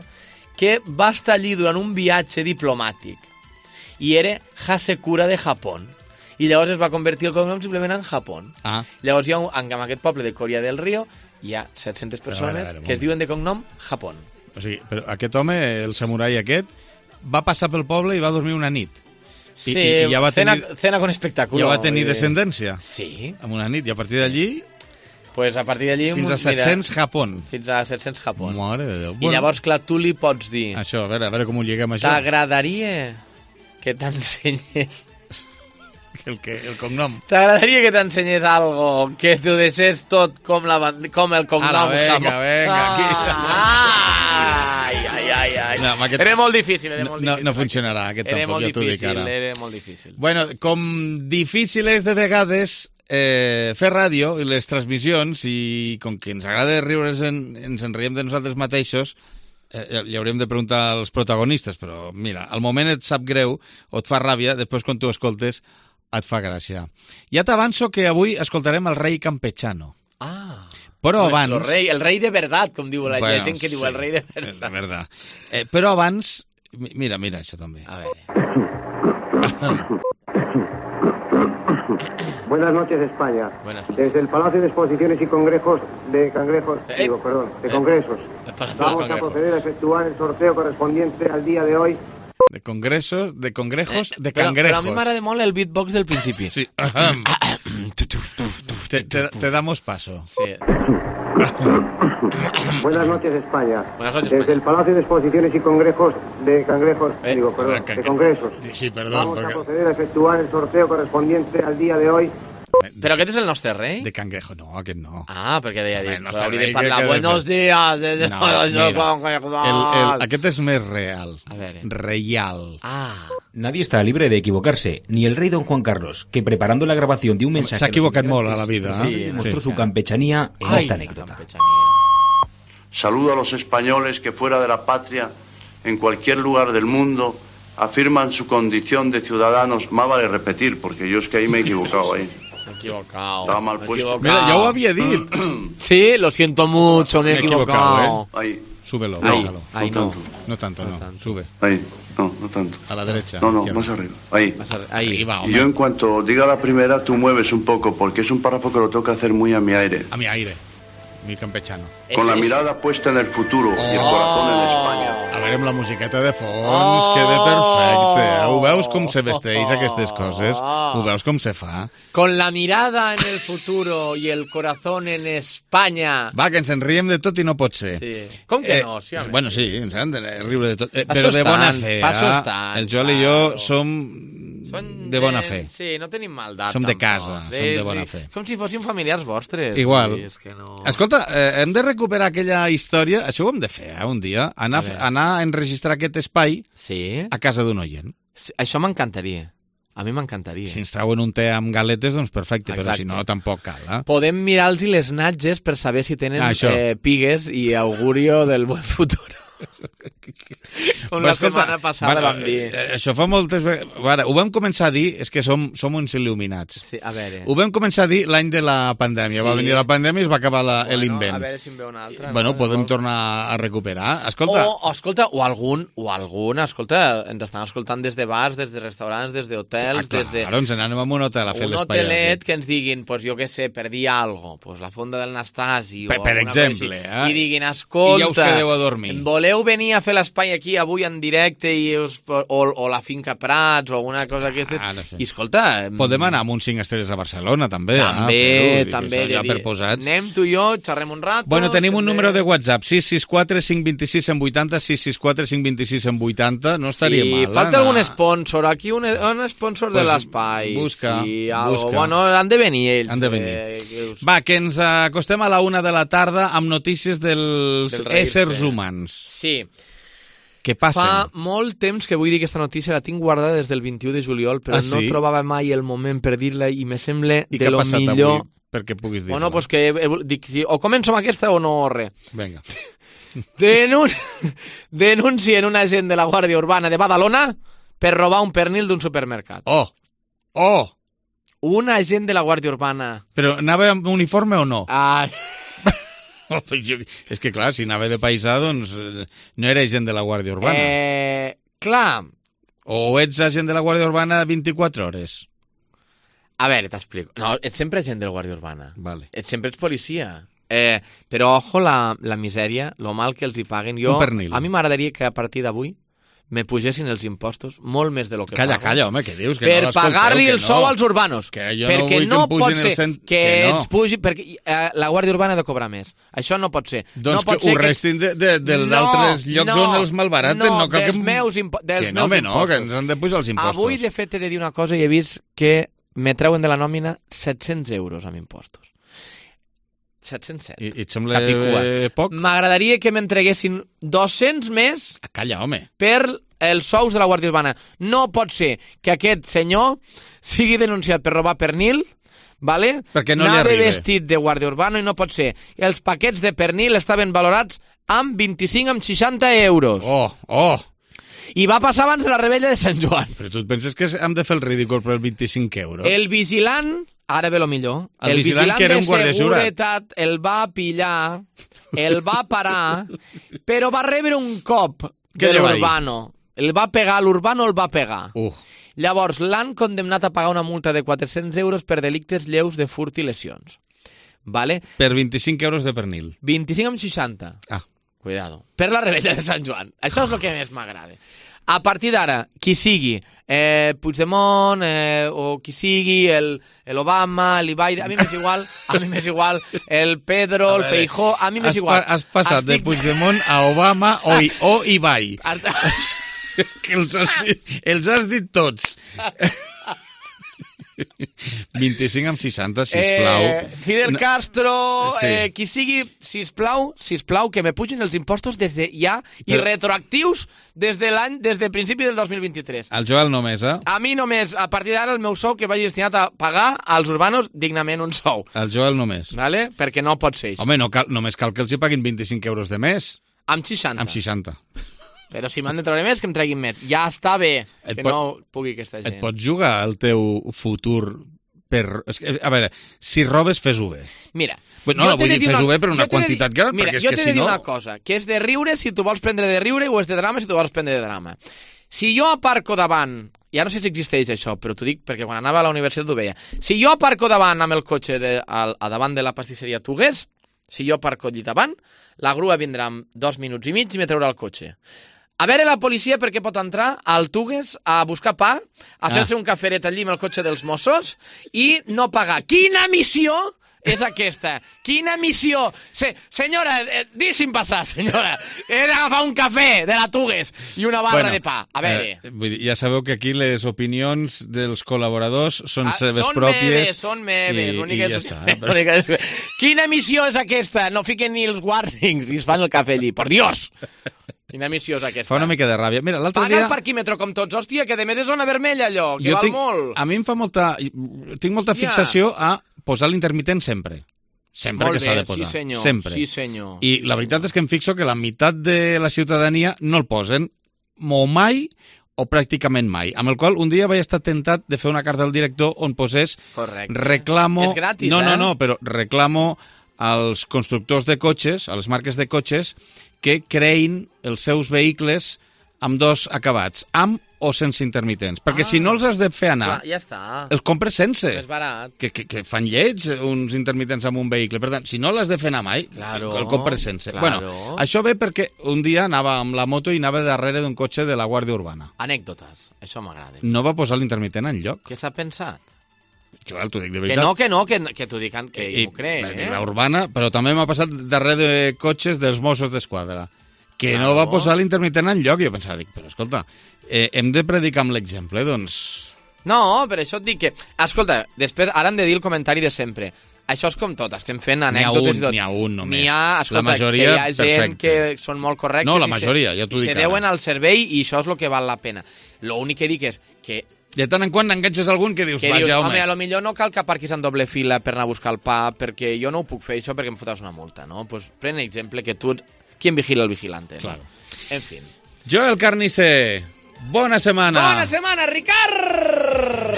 que va estar allí durant un viatge diplomàtic i era Hasekura de Japó. I llavors es va convertir el cognom simplement en Japó. Llavors hi ha en aquest poble de Coria del Río hi ha 700 persones que es diuen de cognom Japó. O sigui, però aquest home, el samurai aquest, va passar pel poble i va dormir una nit. Sí, ja va cena con espectáculo. Ja va tenir descendència. Sí. En una nit, i a partir d'allí... Pues a partir d'allí... Fins a 700 Japó. Fins a 700 Japó. Mare de Déu. I llavors, clar, tu li pots dir... Això, a veure com ho lliguem, això. T'agradaria que t'ensenyés... El cognom. T'agradaria que t'ensenyés algo que t'ho deixés tot com el cognom. Ara, venga, aquí. Ai. No, era molt difícil. No funcionarà, aquest tampoc, ja t'ho dic ara. Era molt difícil. Bueno, com difícil és de vegades fer ràdio i les transmissions, i com que ens agrada riure's, ens en riem de nosaltres mateixos, li hauríem de preguntar als protagonistes, però mira, al moment et sap greu o et fa ràbia, després quan tu escoltes et fa gràcia. Ja t'avanço que avui escoltarem el rei campechano. Però abans... El rei de verdad, com diu la gent que diu el rei de verdad. Però abans... Mira, això també. A ver. Buenas noches, España. Desde el Palacio de Exposiciones y Congresos de Congresos. Vamos a proceder a efectuar el sorteo correspondiente al día de hoy. De congresos, de cangrejos. Però a mi m'agrada molt el beatbox del principi. Sí. Te damos paso. Sí. Buenas noches, España. Buenas noches, Desde el Palacio de Exposiciones y Congresos de Congresos. Sí, perdón. Vamos a proceder a efectuar el sorteo correspondiente al día de hoy. Però aquest és el nostre rei? De cangrejo, no, aquest no. Perquè deia dir, hauria de parlar buenos días. Aquest és més real. Reial. Nadie está libre de equivocarse, ni el rey don Juan Carlos, que preparando la grabación de un mensaje... Se ha equivocat molt a la vida. Demostró su campechanía en esta anécdota. Saludo a los españoles que fuera de la patria, en cualquier lugar del mundo, afirman su condición de ciudadanos. Más vale repetir, porque yo es que ahí me he equivocado ahí. Estaba mal puesto. Mira, ya lo había dicho. Sí, lo siento mucho, me he equivocado. Ahí. Súbelo, bájalo. No tanto. Sube. Ahí. No tanto. A la derecha. No, más arriba. Ahí. Arriba, y yo en cuanto diga la primera, tú mueves un poco, porque es un párrafo que lo tengo que hacer muy a mi aire. A mi aire. Mi campechano. Con la mirada puesta en el futuro y el corazón en España. A veure, amb la musiqueta de fons, queda perfecte. Ho veus com se vesteix aquestes coses? Ho veus com se fa? Con la mirada en el futuro y el corazón en España. Va, que ens en riem de tot i no pot ser. Sí. Com que no? Sí, bueno, sí, ens han de riure de tot. Però de bona fe. El Joel i jo som de bona fe. Sí, no tenim maldat. Som de casa, som de bona fe. Com si fóssim familiars vostres. Igual. És que no... Escolta, hem de recuperar aquella història, això ho hem de fer un dia, anar a enregistrar aquest espai a casa d'un oient. Això m'encantaria. A mi m'encantaria. Si ens trauen un té amb galetes, doncs perfecte, però si no, tampoc cal. Podem mirar-los les natges per saber si tenen pigues i augurio del buen futur. Una setmana passada vam dir. Això fa moltes vegades... Ho vam començar a dir, és que som uns il·luminats. Sí, a veure. Ho vam començar a dir l'any de la pandèmia. Va venir la pandèmia i es va acabar l'invent. A veure si en ve una altra. Bueno, podem tornar a recuperar. Escolta... O algun, escolta, ens estan escoltant des de bars, des de restaurants, des d'hotels, des de... Clar, ens n'anem a un hotel a fer l'espai. Un hotelet que ens diguin, pues jo què sé, per dir alguna cosa, la fonda del Nastasi o per exemple, i diguin, escolta, i ja us quedeu a dormir. Voleu venir a fer l'espai aquí avui en directe o la finca Prats o alguna cosa d'aquestes. I escolta... Podem anar amb uns 5 estrelles a Barcelona, també. També. Ja per posats. Anem tu i jo, xerrem un rato... Bueno, tenim un número de WhatsApp, 664 526 180, 664 526 180, no estaria mal. Falta algun sponsor, aquí un sponsor de l'espai. Busca. Bueno, han de venir ells. Han de venir. Va, que ens acostem a la 1 de la tarda amb notícies dels éssers humans. Sí. Què passen? Fa molt temps que vull dir aquesta notícia, la tinc guardada des del 21 de juliol, però no trobava mai el moment per dir-la i me sembla de lo millor... I què ha passat avui perquè puguis dir-la? Bueno, doncs que dic, o començo amb aquesta o no res. Vinga. Denuncien un agent de la Guàrdia Urbana de Badalona per robar un pernil d'un supermercat. Oh! Un agent de la Guàrdia Urbana. Però anava amb uniforme o no? Ai... És que clar, si anava de paisà, doncs no era agent de la Guàrdia Urbana. Clar. O ets agent de la Guàrdia Urbana 24 hores? A veure, t'explico. No, ets sempre agent de la Guàrdia Urbana. Vale. Sempre ets policia. Però, ojo, la misèria, lo mal que els hi paguen. Un pernil. A mi m'agradaria que a partir d'avui me pugessin els impostos molt més de lo que calla, pago. Calla, home, què dius? Que per no pagar-li el sou als urbanos. Que jo perquè no vull que em pusin que ens pugi, perquè la Guàrdia Urbana ha de cobrar més. Això no pot ser. Doncs no pot que ho restin d'altres llocs on els malbaraten. No, cal dels meus impostos. Que no, que ens han de pujar els impostos. Avui, de fet, he de dir una cosa i he vist que me treuen de la nòmina 700 euros amb impostos. 707. I et sembla poc? M'agradaria que m'entreguessin 200 més... Calla, home. Per els sous de la Guàrdia Urbana. No pot ser que aquest senyor sigui denunciat per robar pernil, vale? Perquè no li arriba. Anava vestit de Guàrdia Urbana i no pot ser. Els paquets de pernil estaven valorats amb 25 amb 60 euros. Oh! I va passar abans de la rebella de Sant Joan. Però tu et penses que hem de fer el ridícul per els 25 euros? El vigilant, ara ve lo millor, el vigilant que era un guàrdia de seguretat el va pillar, el va parar, però va rebre un cop de l'Urbano. El va pegar, l'Urbano el va pegar. Llavors, l'han condemnat a pagar una multa de 400 euros per delictes lleus de furt i lesions. Vale? Per 25 euros de pernil. 25 amb 60. Cuidado. Per la rebella de Sant Joan. Això és el que més m'agrada. A partir d'ara, qui sigui, Puigdemont, o qui sigui, l'Obama, l'Ibai, a mi m'és igual, el Pedro, el Feijó, a mi m'és igual. Has passat de Puigdemont a Obama o Ibai. Que els has dit tots. 25 amb 60, sisplau. Fidel Castro, qui sigui, sisplau, que me pugin els impostos des de ja i retroactius des de principi del 2023. El Joel només, A mi només, a partir d'ara, el meu sou que vagi destinat a pagar als urbanos dignament un sou. El Joel només. Vale? Perquè no pot ser això. Home, només cal que els hi paguin 25 euros de més. Amb 60. Amb 60. Però si m'han de treure més, que em treguin més. Ja està bé que no pugui aquesta gent. Et pots jugar el teu futur per... A veure, si robes, fes-ho bé. Mira... No, vull dir, fes-ho bé per una quantitat gran, perquè és que si no... Mira, jo t'he de dir una cosa, que és de riure si tu vols prendre de riure o és de drama si tu vols prendre de drama. Si jo aparco davant... Ja no sé si existeix això, però t'ho dic perquè quan anava a la universitat ho veia. Si jo aparco davant amb el cotxe a davant de la pastisseria Tugues, si jo aparco allí davant, la grua vindrà en 2 minuts i mig i me traurà el cotxe. A veure la policia perquè pot entrar al Tugues a buscar pa, a fer-se un caferet allí amb el cotxe dels Mossos i no pagar. Quina missió és aquesta? Quina missió? Senyora, deixi'm passar, senyora. He d'agafar un cafè de la Tugues i una barra de pa. A veure... ja sabeu que aquí les opinions dels col·laboradors són seves pròpies. Són meves. I ja està. Quina missió és aquesta? No fiquen ni els warnings i es fan el cafè allí. Por Dios! Quina missió és aquesta? Fa una mica de ràbia. Mira, l'altre dia... Paga el parquímetre com tots. Hòstia, que de més és zona vermella, allò, que val molt. A mi em fa molta... Tinc molta fixació a posar l'intermitent sempre. Sempre que s'ha de posar. Sí, senyor. Sempre. Sí, senyor. I la veritat és que em fixo que la meitat de la ciutadania no el posen o mai o pràcticament mai. Amb el qual un dia vaig estar tentat de fer una carta al director on posés... Correcte. Reclamo... És gratis, No, però reclamo als constructors de cotxes, a les marques de cotxes, que creïn els seus vehicles amb 2 acabats, amb o sense intermitents. Perquè si no els has de fer anar, ja està. Els compres sense. És barat. Que fan lleig uns intermitents amb un vehicle. Per tant, si no l'has de fer anar mai, el compres sense. Claro. Bueno, això ve perquè un dia anava amb la moto i anava darrere d'un cotxe de la Guàrdia Urbana. Anècdotes, això m'agrada. No va posar l'intermitent enlloc. Què s'ha pensat? Joel, t'ho dic de veritat. Que t'ho dic, que jo m'ho crec. La Urbana, però també m'ha passat darrere de cotxes dels Mossos d'Esquadra, que no va posar l'intermitent enlloc. I jo pensava, però escolta, hem de predicar amb l'exemple, doncs... No, per això et dic que... Escolta, després, ara hem de dir el comentari de sempre. Això és com tot, estem fent anècdotes i tot. N'hi ha un només. N'hi ha, escolta, la majoria, que hi ha gent perfecte. que són molt correctes. No, la majoria, ja t'ho dic ara. I se deuen al servei i això és el que val la pena. L'únic que dic és que... De tant en quant enganxes algun que dius, vaja, home. A lo millor no cal que aparquis en doble fila per anar a buscar el pa, perquè jo no ho puc fer això perquè em fotràs una multa, no? Pues pren exemple que tu... ¿Quién vigila el vigilante? Claro. ¿No? En fin. Joel Carnicer, Bona setmana! Bona setmana, Ricard!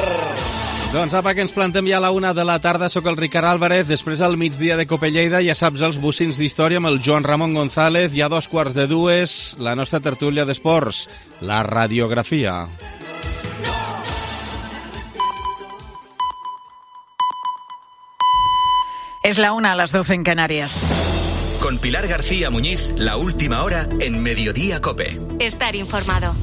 Doncs apa, que ens plantem ja a la 1 de la tarda. Soc el Ricard Álvarez. Després al migdia de Cope Lleida, ja saps, els bocins d'història amb el Joan Ramon González. Ja 2:45, la nostra tertúlia d'esports, la radiografia. Es la 1 a las 12 en Canarias. Con Pilar García Muñiz, la última hora en Mediodía Cope. Estar informado.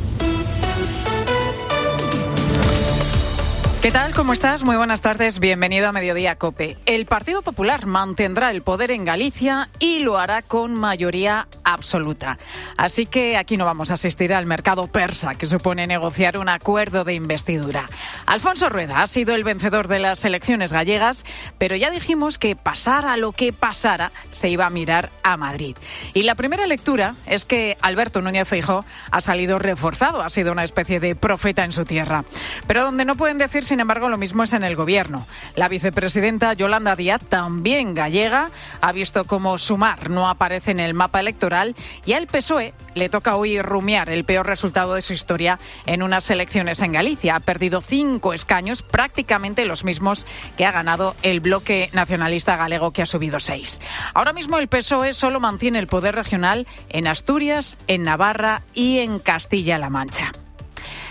¿Qué tal? ¿Cómo estás? Muy buenas tardes. Bienvenido a Mediodía Cope. El Partido Popular mantendrá el poder en Galicia y lo hará con mayoría absoluta. Así que aquí no vamos a asistir al mercado persa que supone negociar un acuerdo de investidura. Alfonso Rueda ha sido el vencedor de las elecciones gallegas, pero ya dijimos que pasara lo que pasara, se iba a mirar a Madrid. Y la primera lectura es que Alberto Núñez Feijóo ha salido reforzado, ha sido una especie de profeta en su tierra. Pero donde no pueden decir, sin embargo, lo mismo es en el gobierno. La vicepresidenta Yolanda Díaz, también gallega, ha visto cómo Sumar no aparece en el mapa electoral y al PSOE le toca hoy rumiar el peor resultado de su historia en unas elecciones en Galicia. Ha perdido 5 escaños, prácticamente los mismos que ha ganado el bloque nacionalista galego, que ha subido 6. Ahora mismo el PSOE solo mantiene el poder regional en Asturias, en Navarra y en Castilla-La Mancha.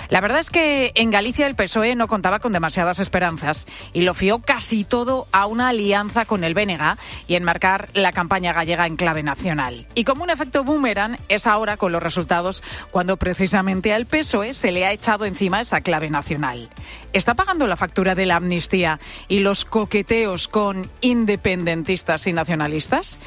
La verdad es que en Galicia el PSOE no contaba con demasiadas esperanzas y lo fió casi todo a una alianza con el BNG y enmarcar la campaña gallega en clave nacional. Y como un efecto boomerang es ahora con los resultados cuando precisamente al PSOE se le ha echado encima esa clave nacional. ¿Está pagando la factura de la amnistía y los coqueteos con independentistas y nacionalistas?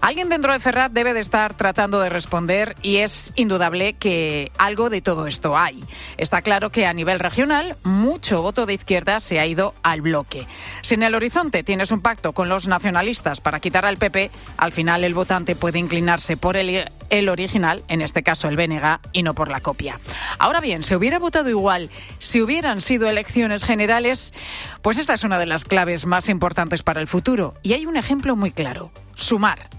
Alguien dentro de Ferrat debe de estar tratando de responder y es indudable que algo de todo esto hay. Está claro que a nivel regional mucho voto de izquierda se ha ido al bloque. Si en el horizonte tienes un pacto con los nacionalistas para quitar al PP, al final el votante puede inclinarse por el original, en este caso el BNG, y no por la copia. Ahora bien, ¿se hubiera votado igual si hubieran sido elecciones generales? Pues esta es una de las claves más importantes para el futuro. Y hay un ejemplo muy claro: Sumar.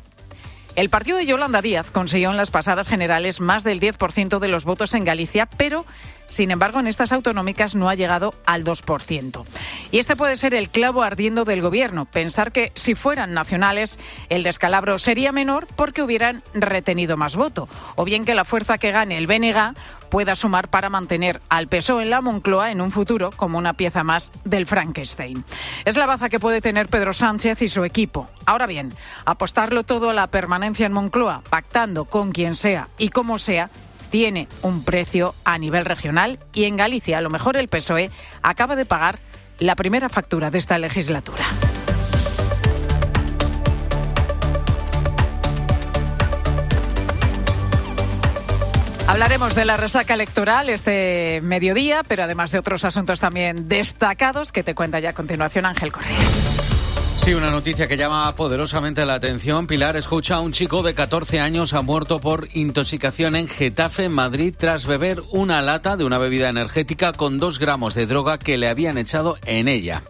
El partido de Yolanda Díaz consiguió en las pasadas generales más del 10% de los votos en Galicia, pero, sin embargo, en estas autonómicas no ha llegado al 2%. Y este puede ser el clavo ardiendo del gobierno, pensar que si fueran nacionales el descalabro sería menor porque hubieran retenido más voto, o bien que la fuerza que gane el BNG pueda sumar para mantener al PSOE en la Moncloa en un futuro como una pieza más del Frankenstein. Es la baza que puede tener Pedro Sánchez y su equipo. Ahora bien, apostarlo todo a la permanencia en Moncloa, pactando con quien sea y como sea, tiene un precio a nivel regional y en Galicia a lo mejor el PSOE acaba de pagar la primera factura de esta legislatura. Hablaremos de la resaca electoral este mediodía, pero además de otros asuntos también destacados que te cuenta ya a continuación Ángel Correa. Sí, una noticia que llama poderosamente la atención. Pilar, escucha, un chico de 14 años ha muerto por intoxicación en Getafe, Madrid, tras beber una lata de una bebida energética con 2 gramos de droga que le habían echado en ella.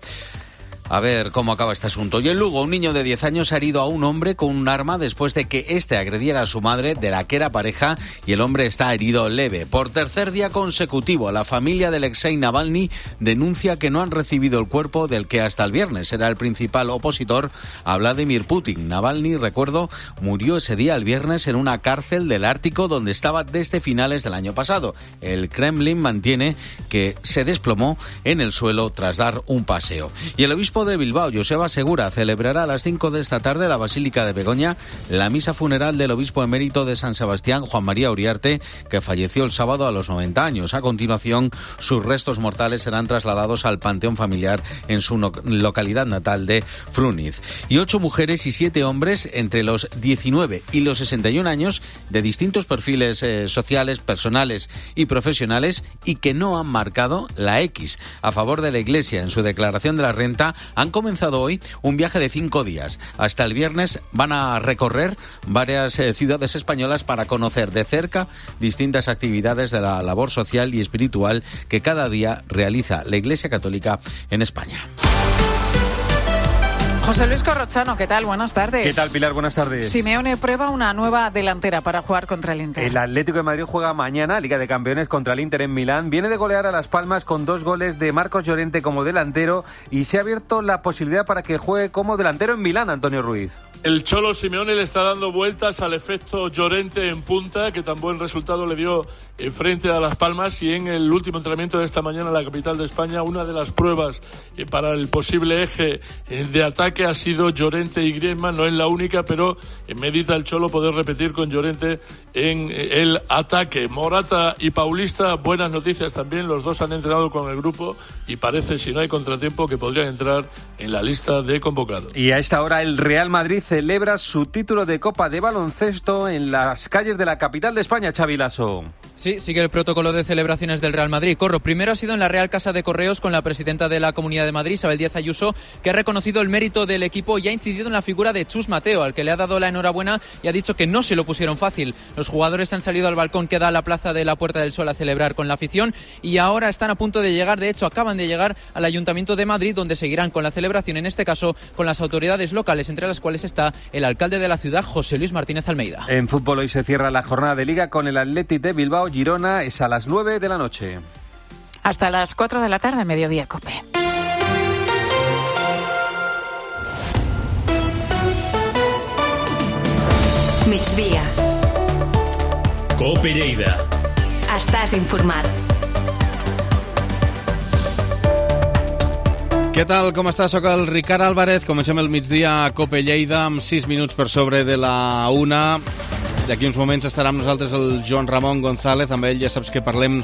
A ver cómo acaba este asunto. Y en Lugo, un niño de 10 años ha herido a un hombre con un arma después de que éste agrediera a su madre, de la que era pareja, y el hombre está herido leve. Por tercer día consecutivo, la familia de Alexei Navalny denuncia que no han recibido el cuerpo del que hasta el viernes era el principal opositor a Vladimir Putin. Navalny, recuerdo, murió ese día el viernes en una cárcel del Ártico donde estaba desde finales del año pasado. El Kremlin mantiene que se desplomó en el suelo tras dar un paseo. Y el obispo de Bilbao, Joseba Segura, celebrará a las 5 de esta tarde en la Basílica de Begoña la misa funeral del obispo emérito de San Sebastián, Juan María Uriarte, que falleció el sábado a los 90 años. A continuación, sus restos mortales serán trasladados al panteón familiar en su localidad natal de Fruniz. Y 8 mujeres y 7 hombres entre los 19 y los 61 años, de distintos perfiles sociales, personales y profesionales, y que no han marcado la X a favor de la Iglesia en su declaración de la renta, han comenzado hoy un viaje de 5 días. Hasta el viernes van a recorrer varias ciudades españolas para conocer de cerca distintas actividades de la labor social y espiritual que cada día realiza la Iglesia Católica en España. José Luis Corrochano, ¿qué tal? Buenas tardes. ¿Qué tal, Pilar? Buenas tardes. Simeone prueba una nueva delantera para jugar contra el Inter. El Atlético de Madrid juega mañana Liga de Campeones contra el Inter en Milán. Viene de golear a Las Palmas con 2 goles de Marcos Llorente como delantero y se ha abierto la posibilidad para que juegue como delantero en Milán, Antonio Ruiz. El Cholo Simeone le está dando vueltas al efecto Llorente en punta, que tan buen resultado le dio frente a Las Palmas, y en el último entrenamiento de esta mañana en la capital de España, una de las pruebas para el posible eje de ataque ha sido Llorente y Griezmann. No es la única, pero medita el Cholo poder repetir con Llorente en el ataque. Morata y Paulista, buenas noticias también, los dos han entrenado con el grupo y parece, si no hay contratiempo, que podrían entrar en la lista de convocados. Y a esta hora el Real Madrid celebra su título de Copa de Baloncesto en las calles de la capital de España, Xavi Lasso. Sí, sigue el protocolo de celebraciones del Real Madrid. Corro, primero ha sido en la Real Casa de Correos con la presidenta de la Comunidad de Madrid, Isabel Díaz Ayuso, que ha reconocido el mérito del equipo y ha incidido en la figura de Chus Mateo, al que le ha dado la enhorabuena y ha dicho que no se lo pusieron fácil. Los jugadores han salido al balcón que da a la Plaza de la Puerta del Sol a celebrar con la afición y ahora están a punto de llegar, de hecho acaban de llegar al Ayuntamiento de Madrid, donde seguirán con la celebración, en este caso con las autoridades locales, entre las cuales está el alcalde de la ciudad, José Luis Martínez Almeida. En fútbol hoy se cierra la jornada de Liga con el Athletic de Bilbao. Girona es a las 9 de la noche. Hasta las 4 de la tarde, Mediodía Cope. Migdia. Cope Lleida. Estàs informat. Què tal, com està? Soc el Ricard Álvarez. Comencem el migdia a Cope Lleida amb 6 minuts per sobre de la 1. D'aquí uns moments estarà amb nosaltres el Joan Ramon González. Amb ell ja saps que parlem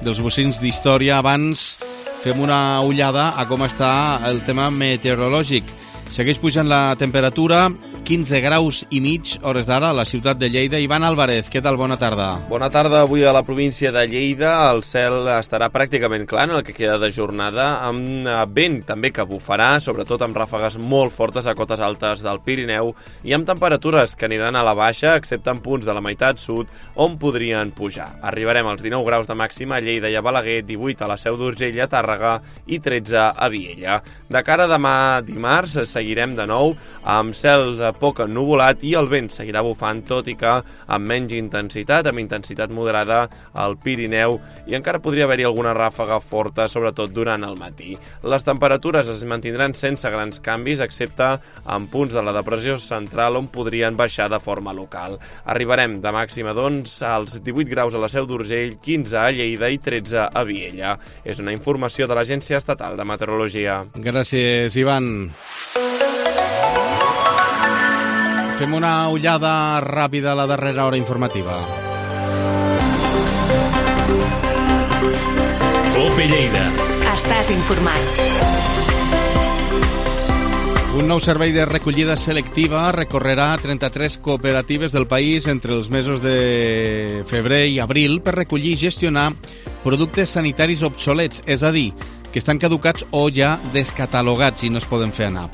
dels bocins d'història. Abans fem una ullada a com està el tema meteorològic. Segueix pujant la temperatura, 15 graus i mig, hores d'ara, a la ciutat de Lleida. Ivan Álvarez, què tal? Bona tarda. Bona tarda. Avui a la província de Lleida el cel estarà pràcticament clar en el que queda de jornada, amb vent també que bufarà, sobretot amb ràfegues molt fortes a cotes altes del Pirineu i amb temperatures que aniran a la baixa, excepte en punts de la meitat sud on podrien pujar. Arribarem als 19 graus de màxima a Lleida i a Balaguer, 18 a la Seu d'Urgell, a Tàrrega i 13 a Viella. De cara a demà dimarts seguirem de nou amb cel poc ennuvolat i el vent seguirà bufant, tot i que amb menys intensitat, amb intensitat moderada al Pirineu, i encara podria haver-hi alguna ràfega forta, sobretot durant el matí. Les temperatures es mantindran sense grans canvis, excepte en punts de la depressió central on podrien baixar de forma local. Arribarem de màxima, doncs, als 18 graus a la Seu d'Urgell, 15 a Lleida i 13 a Viella. És una informació de l'Agència Estatal de Meteorologia. Gràcies, Ivan. Fem una ullada ràpida a la darrera hora informativa. Cope Lleida. Estàs informat. Un nou servei de recollida selectiva recorrerà 33 cooperatives del país entre els mesos de febrer i abril per recollir i gestionar productes sanitaris obsolets, és a dir, que estan caducats o ja descatalogats i no es poden fer anar.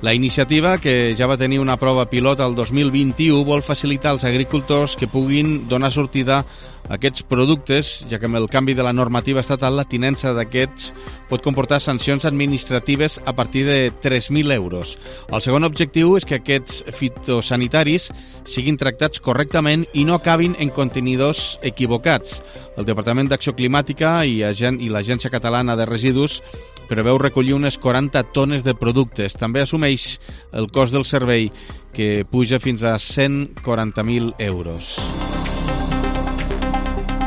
La iniciativa, que ja va tenir una prova pilot el 2021, vol facilitar als agricultors que puguin donar sortida a aquests productes, ja que amb el canvi de la normativa estatal la tinença d'aquests pot comportar sancions administratives a partir de 3.000 euros. El segon objectiu és que aquests fitosanitaris siguin tractats correctament i no acabin en contenidors equivocats. El Departament d'Acció Climàtica i l'Agència Catalana de Residus preveu recollir unes 40 tones de productes. També assumeix el cost del servei, que puja fins a 140.000 euros.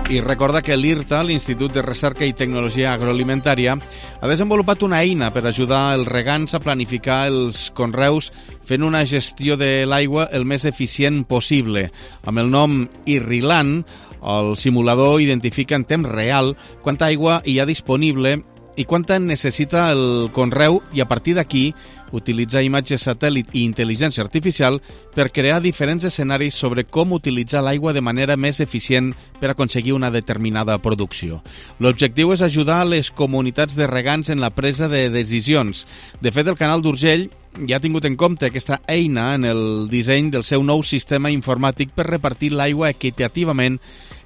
I recorda que l'IRTA, l'Institut de Recerca i Tecnologia Agroalimentària, ha desenvolupat una eina per ajudar els regants a planificar els conreus fent una gestió de l'aigua el més eficient possible. Amb el nom Irrilant, el simulador identifica en temps real quanta aigua hi ha disponible i quanta necessita el conreu, i a partir d'aquí utilitza imatges satèl·lit i intel·ligència artificial per crear diferents escenaris sobre com utilitzar l'aigua de manera més eficient per aconseguir una determinada producció. L'objectiu és ajudar les comunitats de regants en la presa de decisions. De fet, el Canal d'Urgell ja ha tingut en compte aquesta eina en el disseny del seu nou sistema informàtic per repartir l'aigua equitativament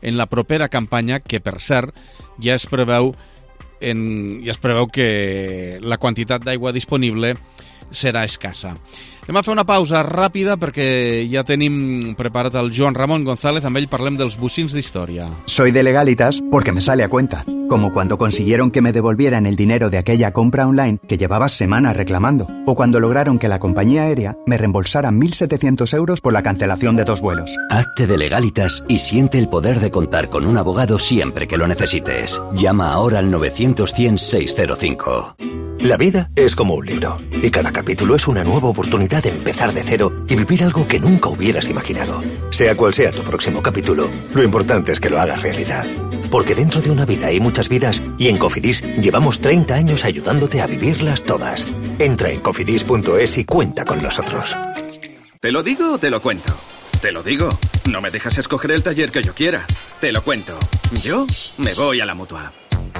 en la propera campanya, que, per cert, ja es preveu i es preveu que la quantitat d'aigua disponible serà escassa. Anem a fer una pausa ràpida perquè ja tenim preparat el Joan Ramon González, amb ell parlem dels bocins d'història. Soy de Legalitas porque me sale a cuenta, como cuando consiguieron que me devolvieran el dinero de aquella compra online que llevaba semanas reclamando, o cuando lograron que la compañía aérea me reembolsara 1.700 euros por la cancelación de 2 vuelos. Hazte de Legalitas y siente el poder de contar con un abogado siempre que lo necesites. Llama ahora al 900-100-605. La vida es como un libro, y cada capítulo es una nueva oportunidad de empezar de cero y vivir algo que nunca hubieras imaginado. Sea cual sea tu próximo capítulo, lo importante es que lo hagas realidad. Porque dentro de una vida hay muchas vidas, y en Cofidis llevamos 30 años ayudándote a vivirlas todas. Entra en cofidis.es y cuenta con nosotros. ¿Te lo digo o te lo cuento? Te lo digo. No me dejas escoger el taller que yo quiera. Te lo cuento. Yo me voy a la Mutua.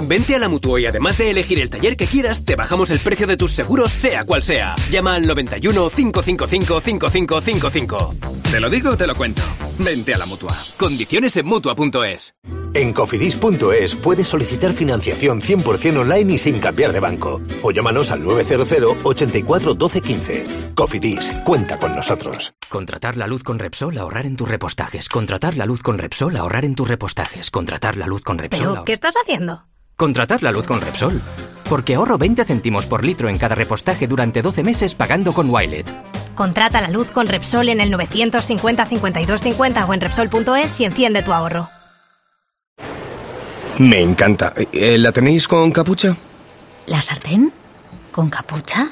Vente a la Mutua y además de elegir el taller que quieras, te bajamos el precio de tus seguros, sea cual sea. Llama al 91 555 5555. Te lo digo o te lo cuento. Vente a la Mutua. Condiciones en Mutua.es. En cofidis.es puedes solicitar financiación 100% online y sin cambiar de banco. O llámanos al 900 84 12 15. Cofidis, cuenta con nosotros. Contratar la luz con Repsol, ahorrar en tus repostajes. Contratar la luz con Repsol, ahorrar en tus repostajes. Contratar la luz con Repsol. ¿Pero qué estás haciendo? Contratar la luz con Repsol. Porque ahorro 20 céntimos por litro en cada repostaje durante 12 meses pagando con Wilet. Contrata la luz con Repsol en el 950 52 50 o en Repsol.es y enciende tu ahorro. Me encanta. ¿La tenéis con capucha? ¿La sartén? ¿Con capucha?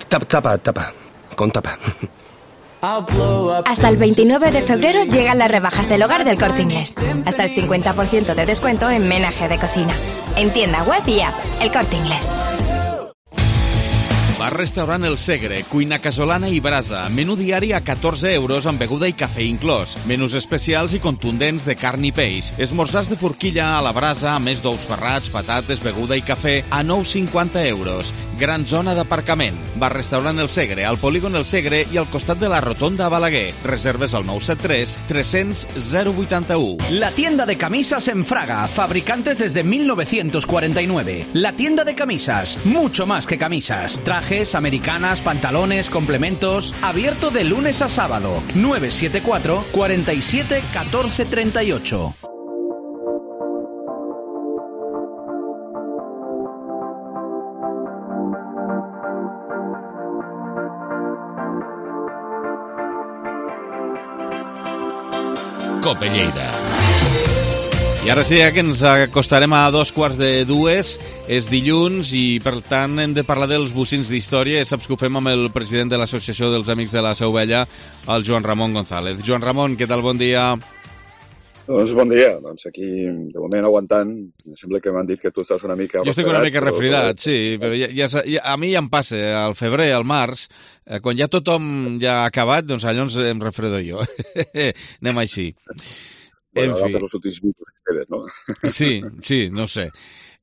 Tapa. Con tapa. Hasta el 29 de febrero llegan las rebajas del hogar del Corte Inglés. Hasta el 50% de descuento en menaje de cocina. En tienda web y app, el Corte Inglés. Bar-restaurant El Segre, cuina casolana i brasa. Menú diari a 14 euros amb beguda i cafè inclòs. Menús especials i contundents de carn i peix. Esmorzars de forquilla a la brasa, a més d'ous ferrats, patates, beguda i cafè a 9,50 euros. Gran zona d'aparcament. Bar-restaurant El Segre, al polígon El Segre i al costat de la rotonda a Balaguer. Reserves al 973 300 081. La tienda de camisas en Fraga, fabricantes desde 1949. La tienda de camisas, mucho más que camisas. Trajes, americanas, pantalones, complementos. Abierto de lunes a sábado. 974 47 14 38. Cope Lleida. I ara sí que ens acostarem a 2:45. És dilluns i, per tant, hem de parlar dels bocins d'història. Saps que ho fem amb el president de l'Associació dels Amics de la Seu Vella, el Joan Ramon González. Joan Ramon, què tal? Bon dia. Doncs bon dia. Doncs aquí, de moment, aguantant. Em sembla que m'han dit que tu estàs una mica... Jo estic una mica refridat, sí, però a mi ja em passa, al febrer, al març, quan ja tothom ja ha acabat, doncs allò em refredo jo. Anem així. Bueno, ara per els últims minuts que queden, no? Sí, no sé.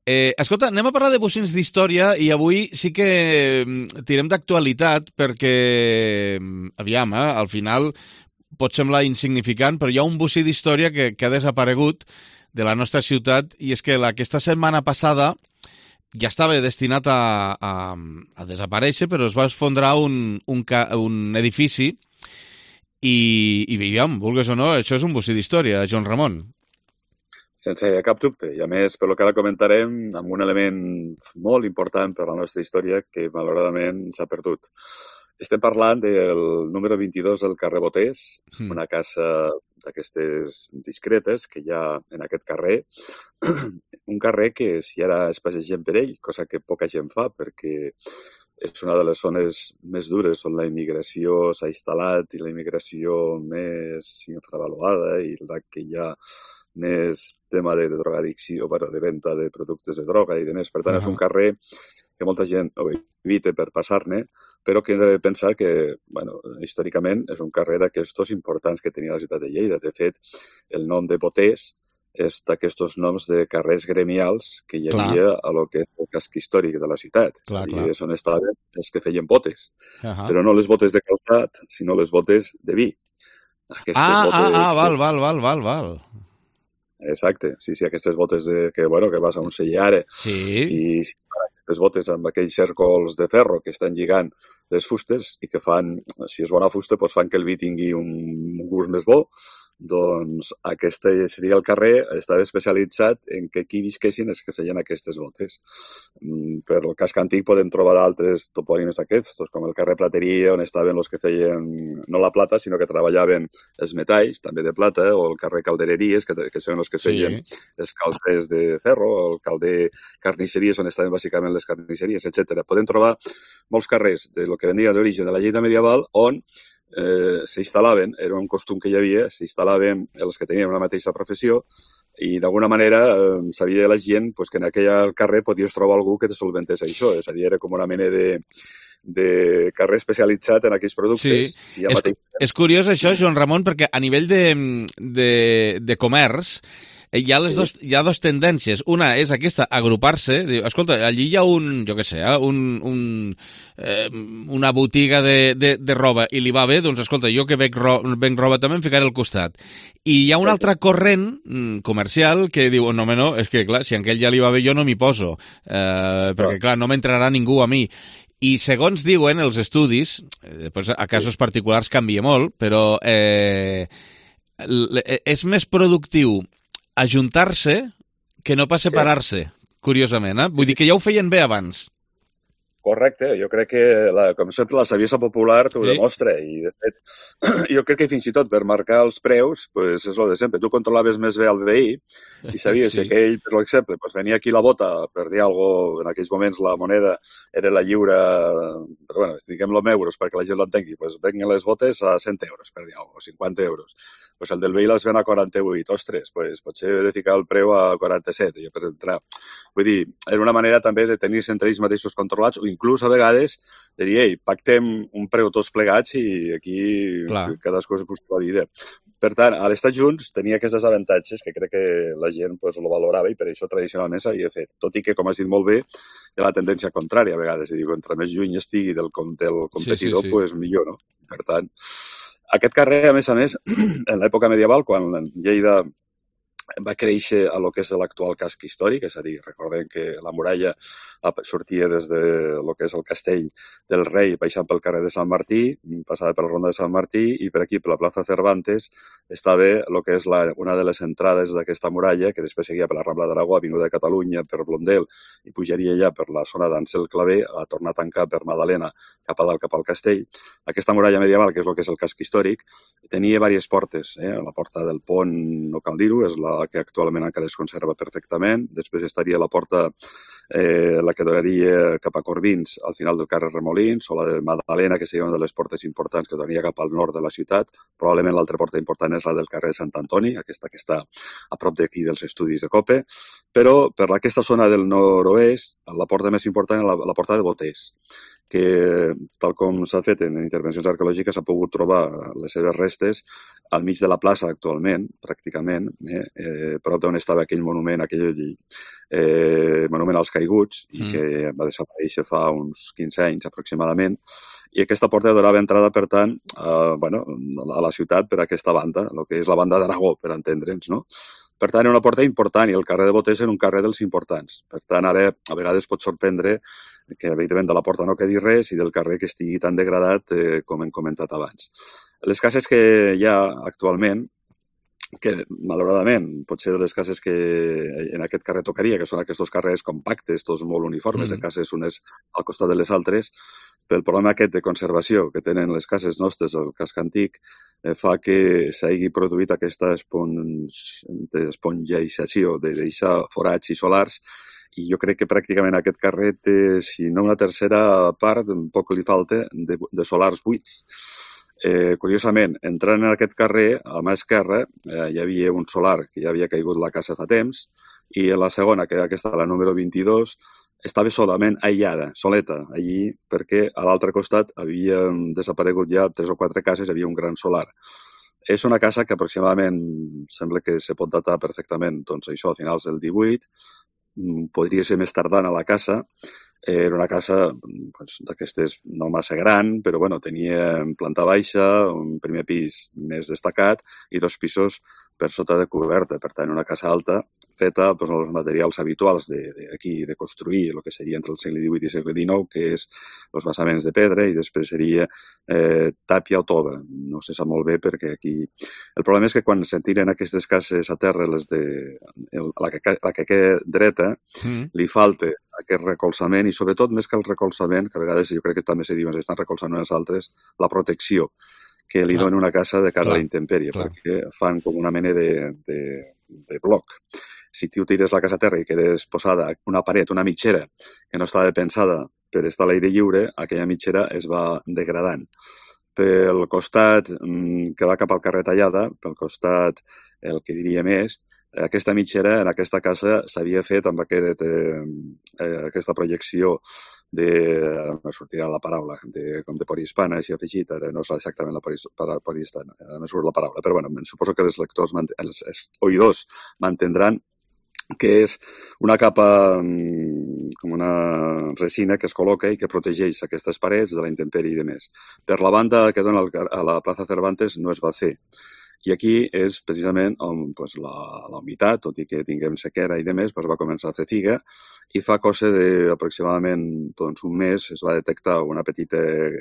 Escolta, anem a parlar de bocins d'història i avui sí que tirem d'actualitat perquè, aviam, al final pot semblar insignificant, però hi ha un bocí d'història que ha desaparegut de la nostra ciutat i és que aquesta setmana passada ja estava destinat a desaparèixer, però es va esfondrar un edifici i veiem, vulgues o no, això és un bocí d'història, Joan Ramon. Sense cap dubte, i a més, per lo que ara comentarem, amb un element molt important per a la nostra història que malauradament s'ha perdut. Estem parlant del número 22 del carrer Boters, una casa d'aquestes discretes que hi ha en aquest carrer. Un carrer que si ara es passegem per ell, cosa que poca gent fa perquè és una de les zones més dures on la immigració s'ha instal·lat i la immigració més infravaluada i la que hi ha més tema de drogadicció, de venda de productes de droga i demés. Per tant, és un carrer que molta gent ho evita per passar-ne, però que hem de pensar que, històricament, és un carrer d'aquestos importants que tenia la ciutat de Lleida. De fet, el nom de Boters és d'aquests noms de carrers gremials que hi havia a lo que és el casc històric de la ciutat. I és on estaven els que feien botes. Però no les botes de calçat, sinó les botes de vi. Val. Exacte, sí, aquestes botes que vas a un sellar i les botes amb aquells cèrcols de ferro que estan lligant les fustes i que fan, si és bona fusta, doncs fan que el vi tingui un gust més bo. Doncs aquest seria el carrer, estava especialitzat en que aquí visquessin els que feien aquestes botes. Per el casc antic podem trobar altres topònims aquests, com el carrer Plateria, on estaven els que feien no la plata, sinó que treballaven els metalls, també de plata, o el carrer Caldereries, que són els que feien els calders de ferro, o el calder Carnisseries, on estaven bàsicament les carnisseries, etc. Podem trobar molts carrers de lo que venia d'origen de la Lleida medieval on s'instal·laven, era un costum que hi havia, s'instal·laven els que tenien una mateixa professió i d'alguna manera sabia la gent que en aquell carrer podies trobar algú que te solventés això, és a dir, era com una mena de carrer especialitzat en aquells productes. Sí, és curiós això, Joan Ramon, perquè a nivell de comerç hi ha dos tendències. Una és aquesta, agrupar-se. Escolta, allí hi ha una botiga de roba i li va bé, doncs escolta, jo que venc roba també em ficaré al costat. I hi ha un altre corrent comercial que diu, no, és que clar, si a aquell ja li va bé jo no m'hi poso, perquè clar, no m'entrarà ningú a mi. I segons diuen els estudis, després a casos particulars canvia molt, però és més productiu ajuntar-se que no pas separar-se, curiosament. Vull dir que ja ho feien bé abans. Correcte, jo crec que, com sempre, la saviesa popular t'ho demostra i, de fet, jo crec que fins i tot per marcar els preus, és el de sempre. Tu controlaves més bé el veí i sabies que ell, per exemple, venia aquí la bota, per dir alguna cosa, en aquells moments la moneda era la lliure, però bueno, diguem-lo en euros perquè la gent l'entengui, venien les botes a 100 euros, per dir alguna cosa, o 50 euros. El del veí les ven a 48, ostres, potser he de ficar el preu a 47, jo per entrar. Vull dir, era una manera també de tenir-se entre ells mateixos controlats o inclús a vegades de dir, ei, pactem un preu tots plegats i aquí cadascú es busca la vida. Per tant, a l'estar junts tenia aquests avantatges que crec que la gent ho valorava i per això tradicionalment s'havia fet. Tot i que, com has dit molt bé, hi ha la tendència contrària a vegades. És a dir, entre més lluny estigui del competidor, millor, no? Per tant, aquest carrer, a més, en l'època medieval, quan Lleida va créixer a lo que és l'actual casc històric, és a dir, recordem que la muralla sortia des de lo que és el castell del rei, baixant pel carrer de Sant Martí, passava per la ronda de Sant Martí i per aquí, per la plaça Cervantes, estava lo que és una de les entrades d'aquesta muralla, que després seguia per la Rambla d'Aragó, Avinguda de Catalunya, per Blondel, i pujaria ja per la zona d'Ansel Clavé, a tornar a tancar per Madalena, cap a dalt, cap al castell. Aquesta muralla medieval, que és el que és el casc històric, tenia diverses portes. La porta del Pont, no cal dir-ho, és la que actualment encara es conserva perfectament. Després estaria la porta, la que donaria cap a Corbins, al final del carrer Remolins, o la de Madalena, que seria una de les portes importants que donaria cap al nord de la ciutat. Probablement l'altra porta important és la del carrer de Sant Antoni, aquesta que està a prop d'aquí dels estudis de COPE. Però per aquesta zona del nord-oest, la porta més important és la porta de Boters, que, tal com s'ha fet en intervencions arqueològiques, s'ha pogut trobar les seves restes al mig de la plaça actualment, pràcticament, prop d'on estava aquell monument, monument als caiguts, i que va desaparèixer fa uns 15 anys aproximadament, i aquesta porta donava entrada, per tant, a la ciutat per aquesta banda, el que és la banda d'Aragó, per entendre'ns, no? Per tant, era una porta important i el carrer de Boters era un carrer dels importants. Per tant, ara a vegades pot sorprendre que, evidentment, de la porta no quedi res i del carrer que estigui tan degradat com hem comentat abans. Les cases que hi ha actualment, que malauradament potser de les cases que en aquest carrer tocaria, que són aquests carrers compactes, tots molt uniformes, de cases unes al costat de les altres, pel problema aquest de conservació que tenen les cases nostres, el casc antic, fa que s'hagi produït aquesta espongeització de deixar forats i solars, i jo crec que pràcticament aquest carrer té, si no una tercera part, poc li falta, de solars buits. Curiosament, entrant en aquest carrer, a mà esquerra, hi havia un solar que ja havia caigut la casa fa temps, i en la segona, que aquesta, la número 22, estava solament aïllada, soleta, allí, perquè a l'altre costat havien desaparegut ja 3 o 4 cases, hi havia un gran solar. És una casa que aproximadament sembla que se pot datar perfectament, doncs això, a finals del 18, podria ser més tardana la casa. Era una casa d'aquestes no massa gran, però bueno, tenia planta baixa, un primer pis més destacat i 2 pisos per sota de coberta. Per tant, una casa alta feta amb els materials habituals d'aquí, de construir, el que seria entre el segle XVIII i el segle XIX, que és els basaments de pedra, i després seria tàpia o tova. No se sap molt bé perquè aquí... El problema és que quan se tiren aquestes cases a terra, la que queda dreta, li falta aquest recolzament, i sobretot més que el recolzament, que a vegades jo crec que també se diuen, estan recolzant unes altres, la protecció que li dona una casa de cara a la intempèrie, perquè fan com una mena de bloc. Si tu tires la casa a terra i quedes posada una paret, una mitgera, que no estava pensada per estar a l'aire lliure, aquella mitgera es va degradant. Pel costat que va cap al carrer Tallada, pel costat el que diríem est, aquesta mitgera en aquesta casa s'havia fet amb aquesta projecció no sortirà la paraula, com de polihispana, així afegit, ara no és exactament la polihispana, no surt la paraula, però bueno, suposo que els lectors, els oïdors m'entendran que és una capa com una resina que es col·loca i que protegeix aquestes parets de la intempèrie i de més. Per la banda que dona a la plaça Cervantes no es va fer. I aquí és precisament on la humitat, tot i que tinguem sequera i demés, va començar a fer figa, i fa cosa d'aproximadament un mes es va detectar una petita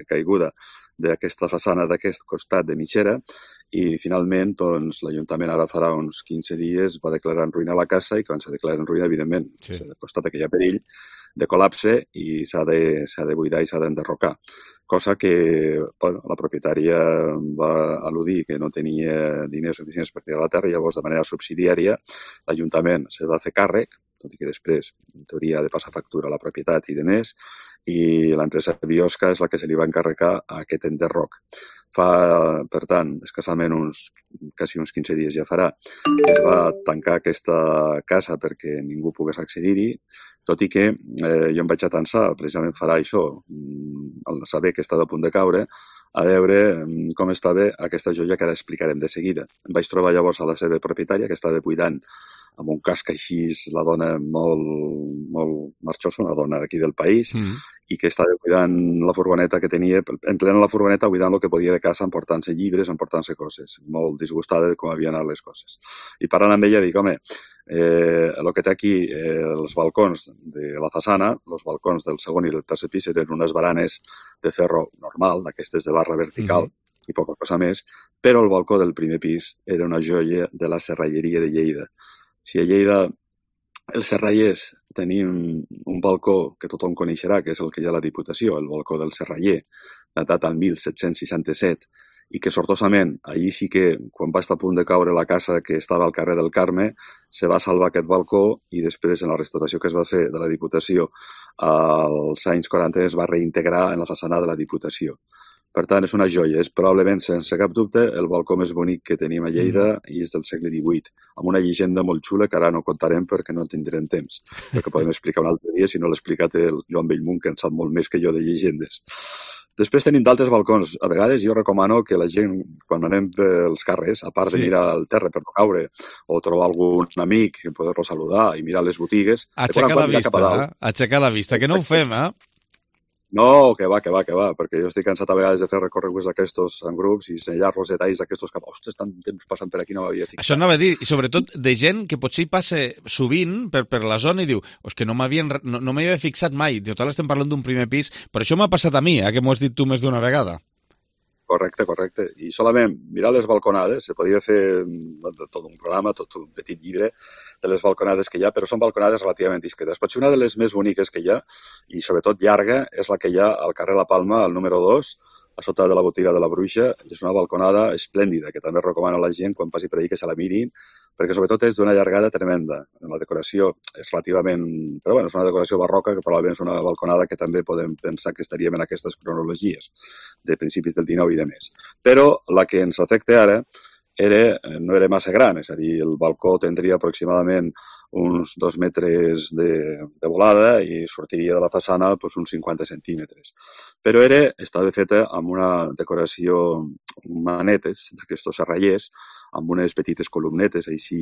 caiguda d'aquesta façana d'aquest costat de mitgera, i finalment l'Ajuntament ara farà uns 15 dies va declarar en ruïna la casa, i quan s'ha declarat en ruïna, evidentment, s'ha constatat que hi ha perill de col·lapse i s'ha de buidar i s'ha d'enderrocar. Cosa que la propietària va al·ludir que no tenia diners suficients per tirar la terra, i llavors de manera subsidiària l'Ajuntament se va fer càrrec, tot i que després, en teoria, ha de passar factura a la propietat i de més, i l'empresa Biosca és la que se li va encarregar aquest enderroc. Per tant, escassament quasi uns 15 dies ja farà, es va tancar aquesta casa perquè ningú pogués accedir-hi, tot i que jo em vaig atensar, precisament farà això, al saber que estava a punt de caure, a veure com estava aquesta joia que ara explicarem de seguida. Em vaig trobar llavors a la seva propietària, que estava buidant amb un casc així, la dona molt marxosa, una dona d'aquí del país, i que estava buidant la furgoneta que tenia, en plena la furgoneta, buidant el que podia de casa, emportant-se llibres, emportant-se coses, molt disgustada de com havien anat les coses. I parlant amb ella dic, home, el que té aquí els balcons de la façana, els balcons del segon i del tercer pis eren unes baranes de ferro normal, d'aquestes de barra vertical, i poca cosa més, però el balcó del primer pis era una joia de la serralleria de Lleida. Si a Lleida els serrallers tenim un balcó que tothom coneixerà, que és el que hi ha a la Diputació, el balcó del serraller, datat al 1767, i que sortosament, allí sí que, quan va estar a punt de caure la casa que estava al carrer del Carme, se va salvar aquest balcó, i després, en la restauració que es va fer de la Diputació als anys 40, es va reintegrar en la façana de la Diputació. Per tant, és una joia. És probablement, sense cap dubte, el balcó més bonic que tenim a Lleida, i és del segle XVIII, amb una llegenda molt xula que ara no contarem perquè no tindrem temps, perquè podem explicar un altre dia, si no l'ha explicat el Joan Bellmunt, que en sap molt més que jo de llegendes. Després tenim d'altres balcons. A vegades jo recomano que la gent, quan anem pels carrers, a part de mirar el terra per no caure, o trobar algun amic, poder-lo saludar i mirar les botigues... Aixecar la vista, que no ho fem, eh? No, que va, perquè jo estic cansat a vegades de fer recorreguts d'aquestos en grups i ensenyar-los detalls d'aquestos que, ostres, tant temps passant per aquí, no m'havia fixat. Això anava a dir, i sobretot de gent que potser hi passa sovint per la zona i diu, que no m'havia fixat mai, total estem parlant d'un primer pis, però això m'ha passat a mi, que m'ho has dit tu més d'una vegada. Correcte. I solament mirar les balconades, se podia fer tot un programa, tot un petit llibre de les balconades que hi ha, però són balconades relativament discretes. Potser una de les més boniques que hi ha, i sobretot llarga, és la que hi ha al carrer La Palma, al número 2, a sota de la botiga de la Bruixa. És una balconada esplèndida, que també recomano a la gent, quan passi per allà, que se la mirin, perquè sobretot és d'una llargada tremenda. La decoració és relativament... Però bueno, és una decoració barroca, que probablement és una balconada que també podem pensar que estaríem en aquestes cronologies de principis del XIX i de més. Però la que ens afecta ara no era massa gran, és a dir, el balcó tindria aproximadament uns 2 metres de volada i sortiria de la façana uns 50 centímetres. Però estava feta amb una decoració, manetes d'aquestos serrallers, amb unes petites columnetes així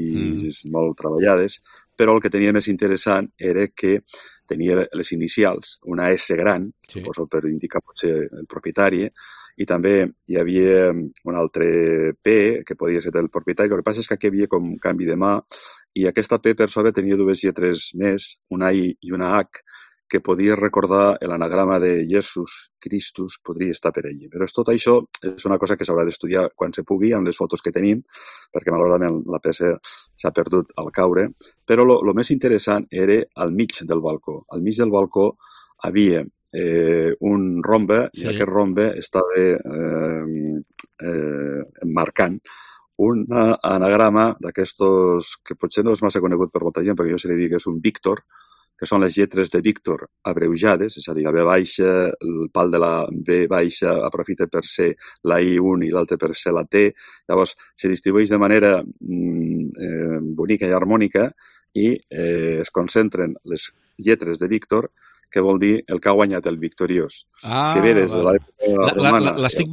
molt treballades, però el que tenia més interessant era que tenia les inicials, una S gran, suposo per indicar potser el propietari, i també hi havia un altre P que podia ser del propietari. El que passa és que aquí hi havia com un canvi de mà i aquesta P per sobre tenia dues lletres més, una I i una H, que podia recordar l'anagrama de Jesús Christus, podria estar per allí. Però tot això és una cosa que s'haurà d'estudiar quan se pugui, amb les fotos que tenim, perquè malauradament la peça s'ha perdut al caure. Però el més interessant era al mig del balcó. Al mig del balcó havia un rombe i aquest rombe estava marcant un anagrama d'aquestos que potser no és massa conegut per molta gent, perquè jo se li dic que és un Víctor, que són les lletres de Víctor abreujades, és a dir, la V baixa, el pal de la V baixa aprofita per ser la I1 i l'altre per ser la T. Llavors, se distribueix de manera bonica i harmònica i es concentren les lletres de Víctor, que vol dir el que ha guanyat el victoriós. Que ve des de l'època romana. L'estic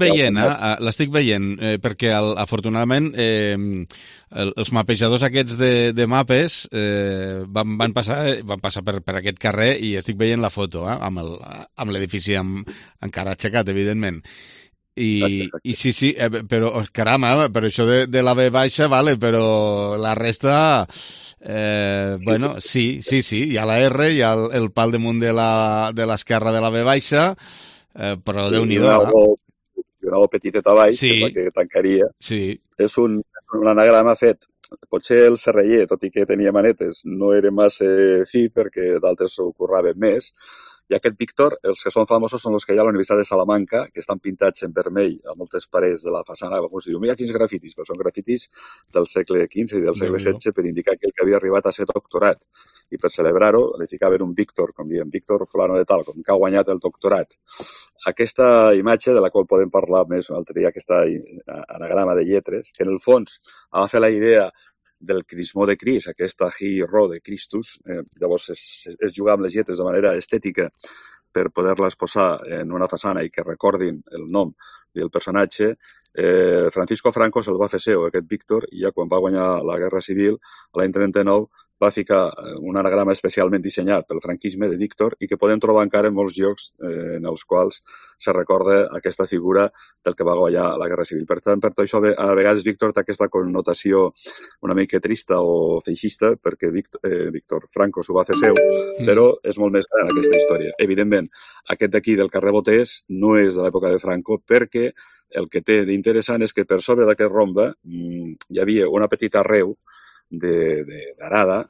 veient, perquè afortunadament els mapejadors aquests de mapes van passar per aquest carrer i estic veient la foto amb l'edifici encara aixecat, evidentment. I sí, però caramba, però això de la V baixa, vale, però la resta... bueno, sí, hi ha la R, hi ha el pal damunt de l'esquerra de la V baixa, però Déu-n'hi-do. I una O petiteta a baix, que és la que tancaria. És un anagrama fet. Potser el serraller, tot i que tenia manetes, no era massa fi perquè d'altres s'ho curraven més. I aquest Víctor, els que són famosos són els que hi ha a la Universitat de Salamanca, que estan pintats en vermell a moltes parets de la façana. Alguns diuen, mira quins grafitis, però són grafitis del segle XV i del segle XVI per indicar que el que havia arribat a ser doctorat. I per celebrar-ho, li ficaven un Víctor, com diem, Víctor fulano de tal, com que ha guanyat el doctorat. Aquesta imatge, de la qual podem parlar més un altre dia, aquesta anagrama de lletres, que en el fons agafa la idea del crismó de Crist, aquesta Hi-Ro de Christus, llavors és jugar amb les lletres de manera estètica per poder-les posar en una façana i que recordin el nom del personatge. Francisco Franco se'l va fer seu, aquest Víctor, i ja quan va guanyar la Guerra Civil, l'any 39, va ficar un anagrama especialment dissenyat pel franquisme de Víctor i que podem trobar encara en molts llocs en els quals se recorda aquesta figura del que va guanyar la Guerra Civil. Per tant, per tot això, a vegades Víctor té aquesta connotació una mica trista o feixista perquè Víctor Franco s'ho va fer seu, però és molt més gran aquesta història. Evidentment, aquest d'aquí del carrer Boters no és de l'època de Franco perquè el que té d'interessant és que per sobre d'aquest rombe hi havia una petita arreu d'arada,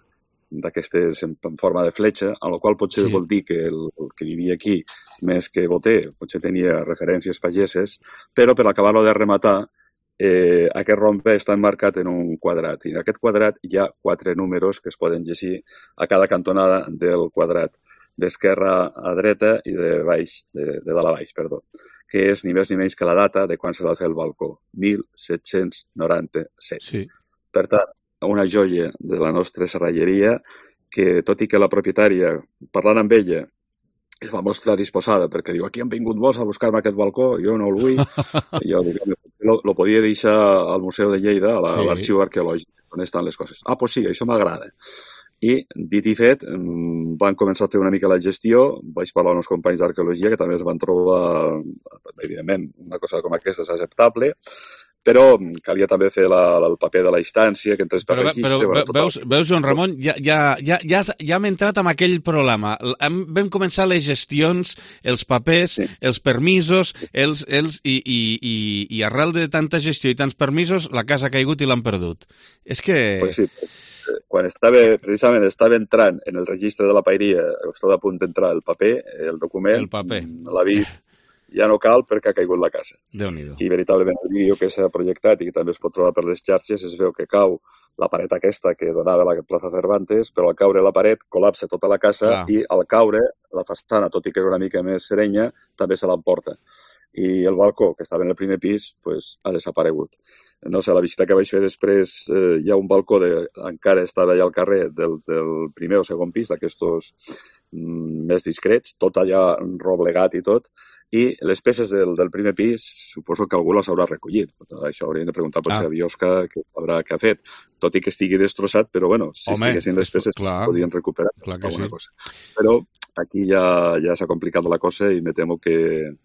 d'aquestes en forma de fletxa, en la qual potser vol dir que el que vivia aquí, més que boter, potser tenia referències pageses, però per acabar-lo de rematar, aquest rombe està emmarcat en un quadrat, i en aquest quadrat hi ha 4 números que es poden llegir a cada cantonada del quadrat, d'esquerra a dreta i de dalt a baix, que és ni més ni menys que la data de quan se va fer el balcó, 1797. Per tant, una joia de la nostra serralleria que, tot i que la propietària, parlant amb ella, es va mostrar disposada perquè diu, aquí han vingut molts a buscar-me aquest balcó, jo no el vull, i jo dic, lo podia deixar al Museu de Lleida, a l'arxiu arqueològic, on estan les coses. Ah, doncs sí, això m'agrada. I, dit i fet, van començar a fer una mica la gestió, vaig parlar amb uns companys d'arqueologia que també es van trobar, evidentment, una cosa com aquesta és acceptable, però calia també fer el paper de la instància, que entrés per registre... Però veus, Joan Ramon, ja hem entrat en aquell problema. Vam començar les gestions, els papers, els permisos, i arrel de tanta gestió i tants permisos, la casa ha caigut i l'han perdut. És que... Pues sí, quan precisament estava entrant en el registre de la paeria, estava a punt d'entrar el paper, el document, l'avís, ja no cal perquè ha caigut la casa. Déu-n'hi-do. I veritablement el vídeo que s'ha projectat i que també es pot trobar per les xarxes es veu que cau la paret aquesta que donava a la plaça Cervantes, però al caure la paret col·lapsa tota la casa i al caure la façana, tot i que era una mica més serenya, també se l'emporta. I el balcó, que estava en el primer pis, ha desaparegut. No sé, la visita que vaig fer després, hi ha un balcó, encara estava allà al carrer del primer o segon pis d'aquestos més discrets, tot allà roblegat i tot, i les peces del primer pis suposo que algú les haurà recollit. Això hauríem de preguntar potser a Biosca què ha fet. Tot i que estigui destrossat, però bueno, si estiguessin les peces podien recuperar alguna cosa. Però aquí ja s'ha complicat la cosa i me temo que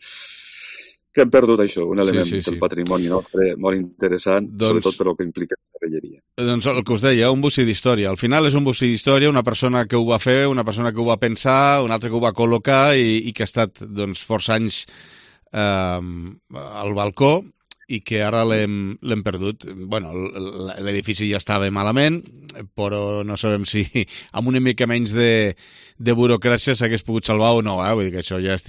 hem perdut això, un element del patrimoni nostre molt interessant, sobretot per el que implica la serralleria. Doncs el que us deia, un bocí d'història. Al final és un bocí d'història, una persona que ho va fer, una persona que ho va pensar, una altra que ho va col·locar i que ha estat força anys al balcó i que ara l'hem perdut. Bueno, l'edifici ja estava malament, però no sabem si amb una mica menys de burocràcia s'hagués pogut salvar o no, vull dir que això ja és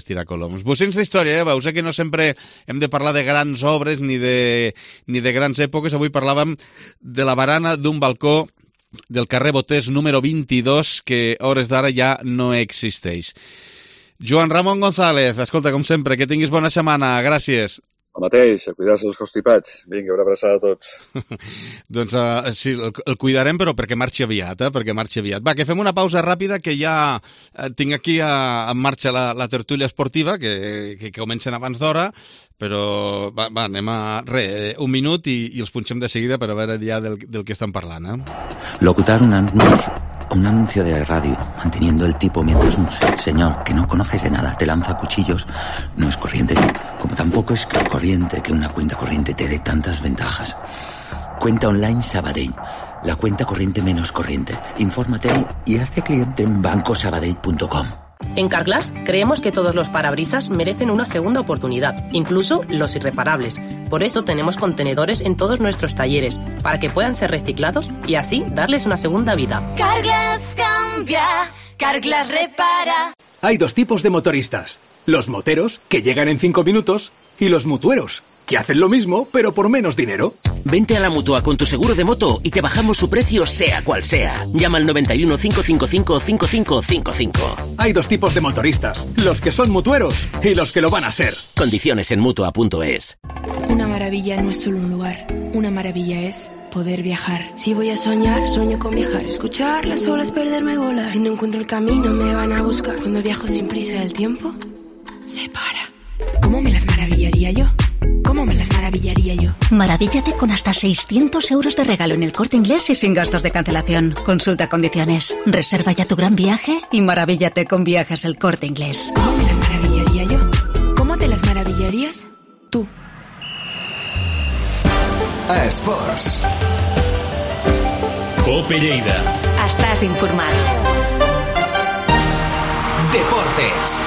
tirar coloms. Bocins d'història, veus que no sempre hem de parlar de grans obres ni de grans èpoques. Avui parlàvem de la barana d'un balcó del carrer Botés número 22, que a hores d'ara ja no existeix. Joan Ramon González, escolta, com sempre, que tinguis bona setmana. Gràcies. El mateix, a cuidar-se els constipats. Vinga, una abraçada a tots. Doncs sí, el cuidarem, però perquè marxi aviat, perquè marxi aviat. Va, que fem una pausa ràpida, que ja tinc aquí en marxa la tertúlia esportiva, que comencen abans d'hora, però va, anem a... un minut i els punxem de seguida per a veure ja del que estan parlant. Locutar un anuncio de radio, manteniendo el tipo mientras un señor que no conoces de nada te lanza cuchillos, no es corriente, como tampoco es corriente que una cuenta corriente te dé tantas ventajas. Cuenta online Sabadell, la cuenta corriente menos corriente. Infórmate y hazte cliente en bancosabadell.com. En Carglass creemos que todos los parabrisas merecen una segunda oportunidad, incluso los irreparables. Por eso tenemos contenedores en todos nuestros talleres, para que puedan ser reciclados y así darles una segunda vida. Carglass cambia, Carglass repara. Hay dos tipos de motoristas. Los moteros, que llegan en 5 minutos, y los mutueros, que hacen lo mismo, pero por menos dinero. Vente a la Mutua con tu seguro de moto y te bajamos su precio sea cual sea. Llama al 91 555 5555. Hay dos tipos de motoristas, los que son mutueros y los que lo van a ser. Condiciones en Mutua.es. Una maravilla no es solo un lugar, una maravilla es poder viajar. Si voy a soñar, sueño con viajar. Escuchar las olas, perderme bolas. Si no encuentro el camino, me van a buscar. Cuando viajo sin prisa, el tiempo se para. ¿Cómo me las maravillaría yo? ¿Cómo me las maravillaría yo? Maravíllate con hasta 600 euros de regalo en El Corte Inglés y sin gastos de cancelación. Consulta condiciones. Reserva ya tu gran viaje y maravíllate con Viajes El Corte Inglés. ¿Cómo me las maravillaría yo? ¿Cómo te las maravillarías tú? A Esports. Cope Lleida. Estàs informat. Deportes.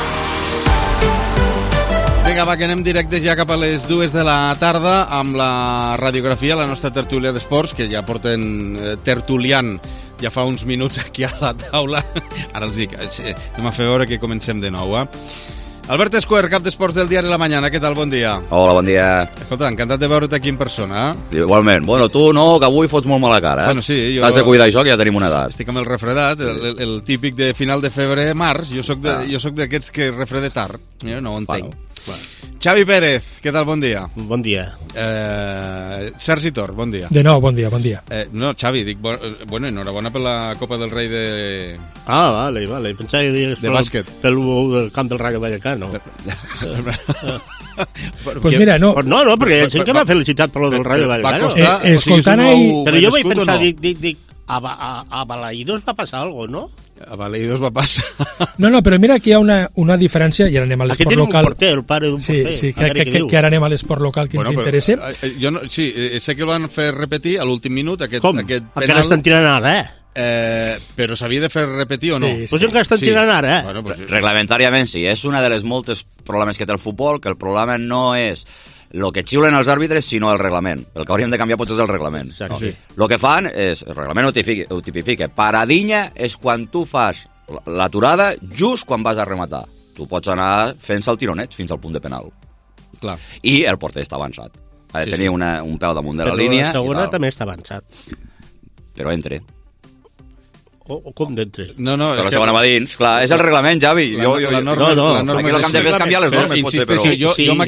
Vinga, va, que anem directes ja cap a les 2 de la tarda amb la radiografia, la nostra tertúlia d'esports, que ja porten tertuliant ja fa uns minuts aquí a la taula. Ara els dic, anem a fer veure que comencem de nou. Albert Escuer, cap d'esports del diari La Mañana, què tal? Bon dia. Hola, bon dia. Escolta, encantat de veure't aquí en persona. Igualment. Bueno, tu no, que avui fots molt mala cara. Bueno, sí, jo... T'has de cuidar això, que ja tenim una edat. Estic amb el refredat, el típic de final de febrer-març. Jo soc d'aquests que refrede tard. Jo no ho entenc. Bueno. Xavi Pérez, què tal? Bon dia. Bon dia. Sergi Tor, bon dia. De nou, bon dia, bon dia. No, Xavi, dic, bueno, enhorabona per la Copa del Rei de... Ah, vale. Pensava que digues de bàsquet. Pel camp del Rayo Vallecano. Pues mira, no. No, perquè sé que m'ha felicitat per lo del Rayo Vallecano. Escoltant ahí... Però jo vaig pensar, dic, a Balaïdos va passar algo, ¿no? A Balaïdos va passar. No, però mira que hi ha una diferència, i ara anem a l'esport local. Aquí tenim un porter, el pare d'un porter. Sí, que ara anem a l'esport local que ens interessa. Jo no, sí, sé que el van fer repetir a l'últim minut, aquest penal. Perquè l'estan tirant ara, Però s'havia de fer repetir o no? Sí. Pues encara estan tirant ara, Bueno, pues, reglamentàriament sí, és una de les moltes problemes que té el futbol, que el problema no és el que xiulen els àrbitres, sinó el reglament. El que hauríem de canviar potser és el reglament. Sí. El que fan és, el reglament ho tipifica, paradinya és quan tu fas l'aturada just quan vas a rematar. Tu pots anar fent-se el tironet fins al punt de penal. Clar. I el porter està avançat. Ha de tenir un peu damunt de la línia. Però la segona també està avançat. Però entre. O com d'entre? No, però la segona va dins. Clar, és el reglament, Javi. La norma és el que hem de fer és canviar les normes. Insisteixo, jo amb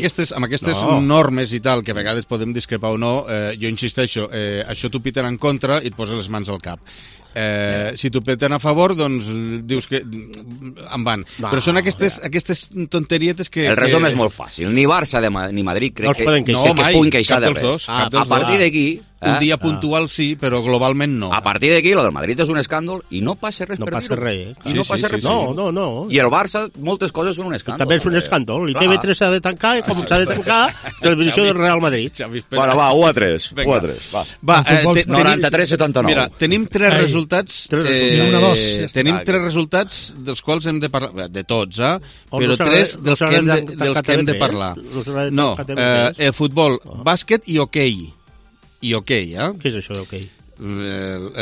aquestes normes i tal, que a vegades podem discrepar o no, jo insisteixo, això t'ho piten en contra i et posa les mans al cap. Si t'ho peten a favor, doncs dius que en van. Però són aquestes tonterietes que... El resum és molt fàcil. Ni Barça ni Madrid crec que es puguin queixar de res. A partir d'aquí... Un dia puntual sí, però globalment no. A partir d'aquí, lo del Madrid és un escàndol i no passa res per dir-ho. No passa res. I no passa res. No. I el Barça, moltes coses són un escàndol. També és un escàndol. I TV3 s'ha de tancar, i com s'ha de tancar, televisió del Real Madrid. Bueno, va, 1-3. Va, 93-79. Mira, tenim tres resultats... Tenim tres resultats dels quals hem de parlar. De tots, però tres dels que hem de parlar. No, futbol, bàsquet i hoquei. I hoquei, Què és això d'hoquei?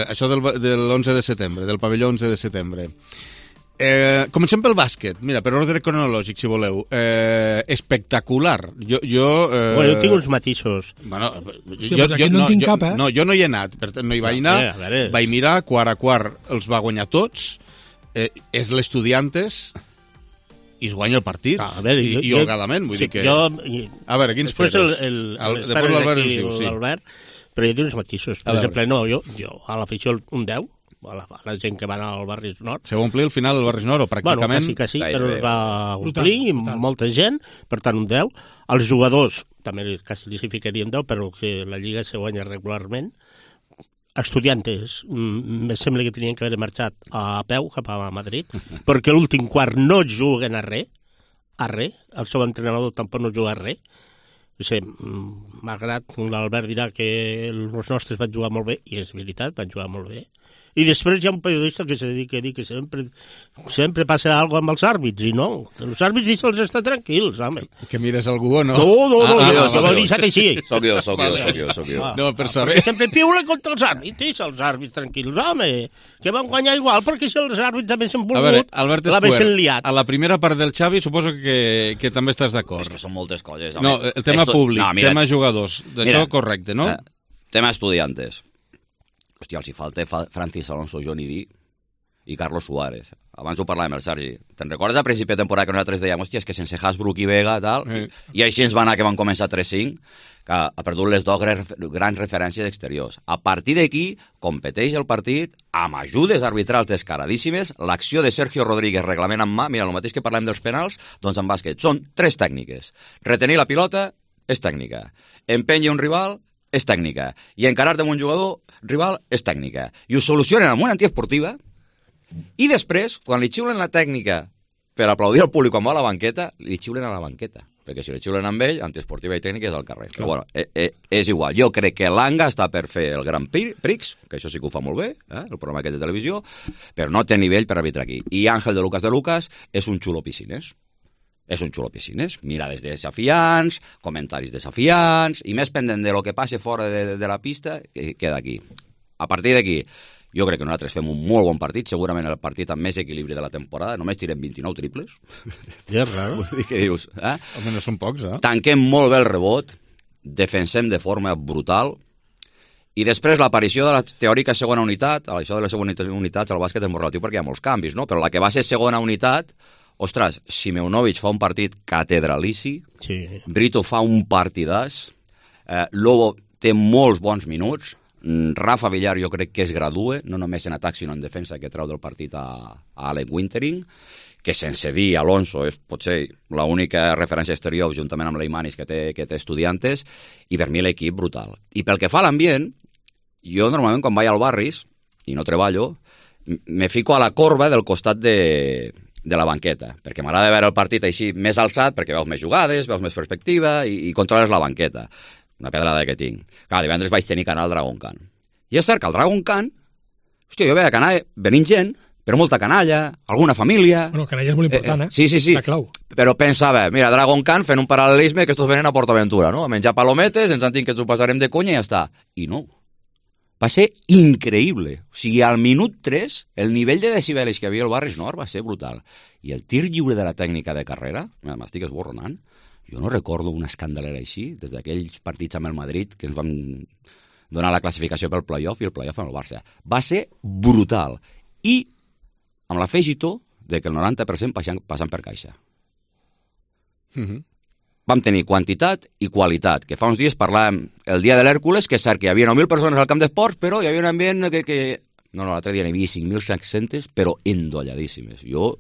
Això de l'11 de setembre, del pavelló 11 de setembre. Comencem pel bàsquet. Mira, per ordre cronològic, si voleu. Espectacular. Jo tinc uns matisos. Bueno, hòstia, aquí no en tinc cap, No, jo no hi he anat, per tant no hi vaig anar. Vaig mirar, quart a quart els va guanyar tots. És l'Estudiantes i es guanya el partit, i holgadament, vull dir que... A veure, quins peres? Després l'Albert ens diu, sí. Però hi ha uns matisos. Per exemple, jo a l'afició un 10, a la gent que va anar al Barris Nord... Se va omplir al final el Barris Nord, o pràcticament... Bueno, sí, però es va omplir, molta gent, per tant un 10. Els jugadors, també quasi li ficaria un 10, però que la Lliga se guanya regularment. Estudiantes, em sembla que tenien que haver marxat a peu cap a Madrid, perquè l'últim quart no juguen a res, el seu entrenador tampoc no juga a res. Malgrat l'Albert dirà que els nostres van jugar molt bé, i és veritat, van jugar molt bé. I després hi ha un periodista que se dedica a dir que sempre passa alguna cosa amb els àrbits, i no. Els àrbits deixa'ls estar tranquils, home. Que mires algú o no? No, jo l'he deixat així. Soc jo. No, per saber. Sempre piula contra els àrbits, deixa els àrbits tranquils, home. Que van guanyar igual, perquè si els àrbits també s'han volgut, a veure, Albert l'havessin liat. A la primera part del Xavi suposo que també estàs d'acord. És que són moltes coses. No, el tema públic, tema jugadors, d'això correcte, no? Tema estudiantes. Hòstia, els hi falta Francis Alonso, Johnny D i Carlos Suárez. Abans ho parlàvem, el Sergi. Te'n recordes a principi de temporada que nosaltres dèiem, hòstia, és que sense Hasbrook i Vega, tal, i així ens va anar que van començar 3-5, que ha perdut les dues grans referències exteriors. A partir d'aquí, competeix el partit amb ajudes arbitrals descaradíssimes, l'acció de Sergio Rodríguez, reglament en mà, mira, el mateix que parlem dels penals, doncs en bàsquet. Són tres tècniques. Retenir la pilota és tècnica. Empènyer un rival és tècnica. I encarar-te amb un jugador rival és tècnica. I ho solucionen amb una antiesportiva i després, quan li xiulen la tècnica per aplaudir al públic quan va a la banqueta, li xiulen a la banqueta. Perquè si li xiulen amb ell, antiesportiva i tècnica és al carrer. Però bueno, és igual. Jo crec que l'Anga està per fer el Grand Prix, que això sí que ho fa molt bé, el programa aquest de televisió, però no té nivell per arbitrar aquí. I Àngel de Lucas és un xulo piscines. És un xulo piscines, mirades desafiants, comentaris desafiants, i més pendent de lo que passe fora de la pista, que queda aquí. A partir d'aquí, jo crec que nosaltres fem un molt bon partit, segurament el partit amb més equilibri de la temporada, només tirem 29 triples. Ja és raro. Vull dir, què dius? Home, no són pocs, Tanquem molt bé el rebot, defensem de forma brutal, i després l'aparició de la teòrica segona unitat, això de les segones unitats al bàsquet és molt relatiu perquè hi ha molts canvis, no? Però la que va ser segona unitat, ostres, Simeunovic fa un partit catedralici, Brito fa un partidàs, Lobo té molts bons minuts, Rafa Villar jo crec que es gradua, no només en atac sinó en defensa, que treu del partit a Alec Wintering, que sense dir Alonso és potser l'única referència exterior juntament amb l'Eimanis que té Estudiantes, i per mi l'equip brutal. I pel que fa a l'ambient, jo normalment quan vaig al Barris, i no treballo, me fico a la corba del costat de la banqueta, perquè m'agrada veure el partit així més alçat, perquè veus més jugades, veus més perspectiva i controles la banqueta. Una pedrada que tinc. Clar, divendres vaig tenir que anar al Dragon Khan. I és cert que al Dragon Khan, hòstia, jo veia que anava venint gent, però molta canalla, alguna família... Bueno, canalla és molt important, Sí. La clau. Però pensava, mira, Dragon Khan fent un paral·lelisme que estos venen a PortAventura, no? A menjar palometes, ens han dit que ens ho passarem de conya i ja està. I no. Va ser increïble. O sigui, al minut 3, el nivell de decibelis que havia al Barris Nord va ser brutal. I el tir lliure de la tècnica de carrera, m'estic esborronant, jo no recordo una escandalera així, des d'aquells partits amb el Madrid que ens van donar la classificació pel playoff i el playoff amb el Barça. Va ser brutal. I amb l'afegitó de que el 90% passen per caixa. Vam tenir quantitat i qualitat, que fa uns dies parlàvem el dia de l'Hèrcules, que és cert que hi havia 9.000 persones al camp d'esports, però hi havia un ambient que No, l'altre dia n'hi havia 5.700, però endolladíssimes. Jo,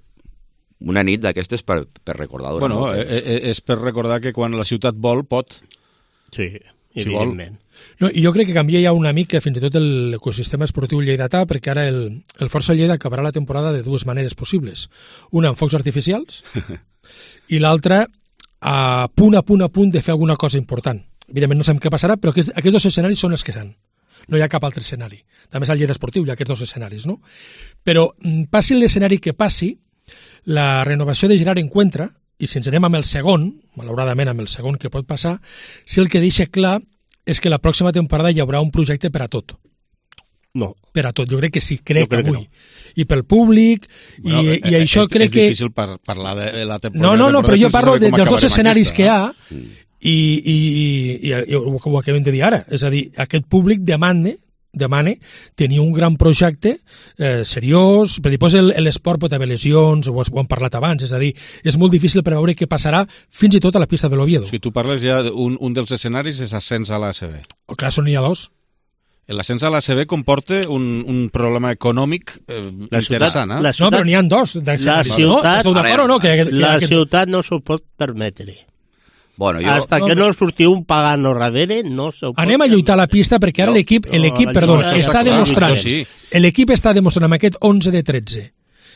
una nit d'aquestes per recordar. Bueno, és per recordar que quan la ciutat vol, pot. Sí, si evidentment. No, i jo crec que canvia ja una mica fins i tot l'ecosistema esportiu lleidatà, perquè ara el Força Lleida acabarà la temporada de dues maneres possibles. Una amb focs artificials i l'altra a punt de fer alguna cosa important. Evidentment no sabem què passarà, però aquests dos escenaris són els que s'han. No hi ha cap altre escenari. També és el Lleida Esportiu, hi ha aquests dos escenaris, no? Però passi l'escenari que passi, la renovació de Gerard Encuentra, i si ens anem amb el segon, malauradament amb el segon que pot passar, si el que deixa clar és que la pròxima temporada hi haurà un projecte per a tot. No. Per a tot, jo crec que sí, crec avui. No. I pel públic, bueno, i això crec que... És difícil parlar de la temporada. No, però jo parlo dels dos escenaris que hi ha i ho acabem de dir ara. És a dir, aquest públic demana tenir un gran projecte seriós, perquè després l'esport pot haver lesions, ho hem parlat abans, és a dir, és molt difícil preveure què passarà fins i tot a la pista de l'Oviedo. Si tu parles ja, un dels escenaris és ascens a l'ACB. Clar, n'hi ha dos. L'ascens a l'ACB comporta un problema econòmic interessant, eh? No, però n'hi ha dos. La ciutat no s'ho pot permetre. Bueno, hasta que no sortiu un pagano darrere, no s'ho pot... Anem a lluitar a la pista perquè ara l'equip està demostrant amb aquest 11 de 13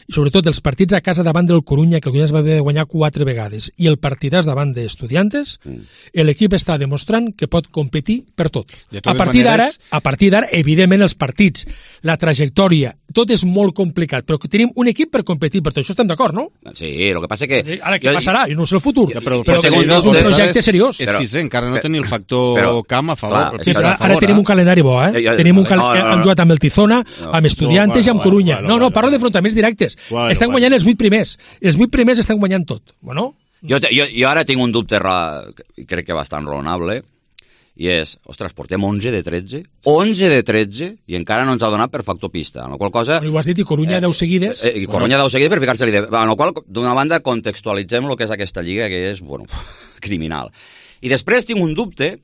i sobretot els partits a casa davant del Corunya, que el Corunya es va haver de guanyar 4 vegades, i el partidàs davant d'Estudiantes, l'equip està demostrant que pot competir per tot. A partir d'ara, evidentment, els partits, la trajectòria, tot és molt complicat, però tenim un equip per competir, per tot això estem d'acord, no? Sí, el que passa que... Ara, què passarà? Jo no sé el futur, però és un projecte seriós. És sisè, encara no tenim el factor camp a favor. Ara tenim un calendari bo, eh? Hem jugat amb el Tizona, amb Estudiantes i amb Corunya. No, parlo d'enfrontaments directes. Estan guanyant els 8 primers. Els 8 primers estan guanyant tot. Bueno... Jo ara tinc un dubte, crec que bastant raonable, i és, ostres, portem 11 de 13, 11 de 13, i encara no ens ha donat per factor pista. En la qual cosa... Ho has dit, i Corunya 10 seguides. I Corunya 10 seguides per ficar-se-li... En la qual, d'una banda, contextualitzem el que és aquesta lliga, que és, bueno, criminal. I després tinc un dubte,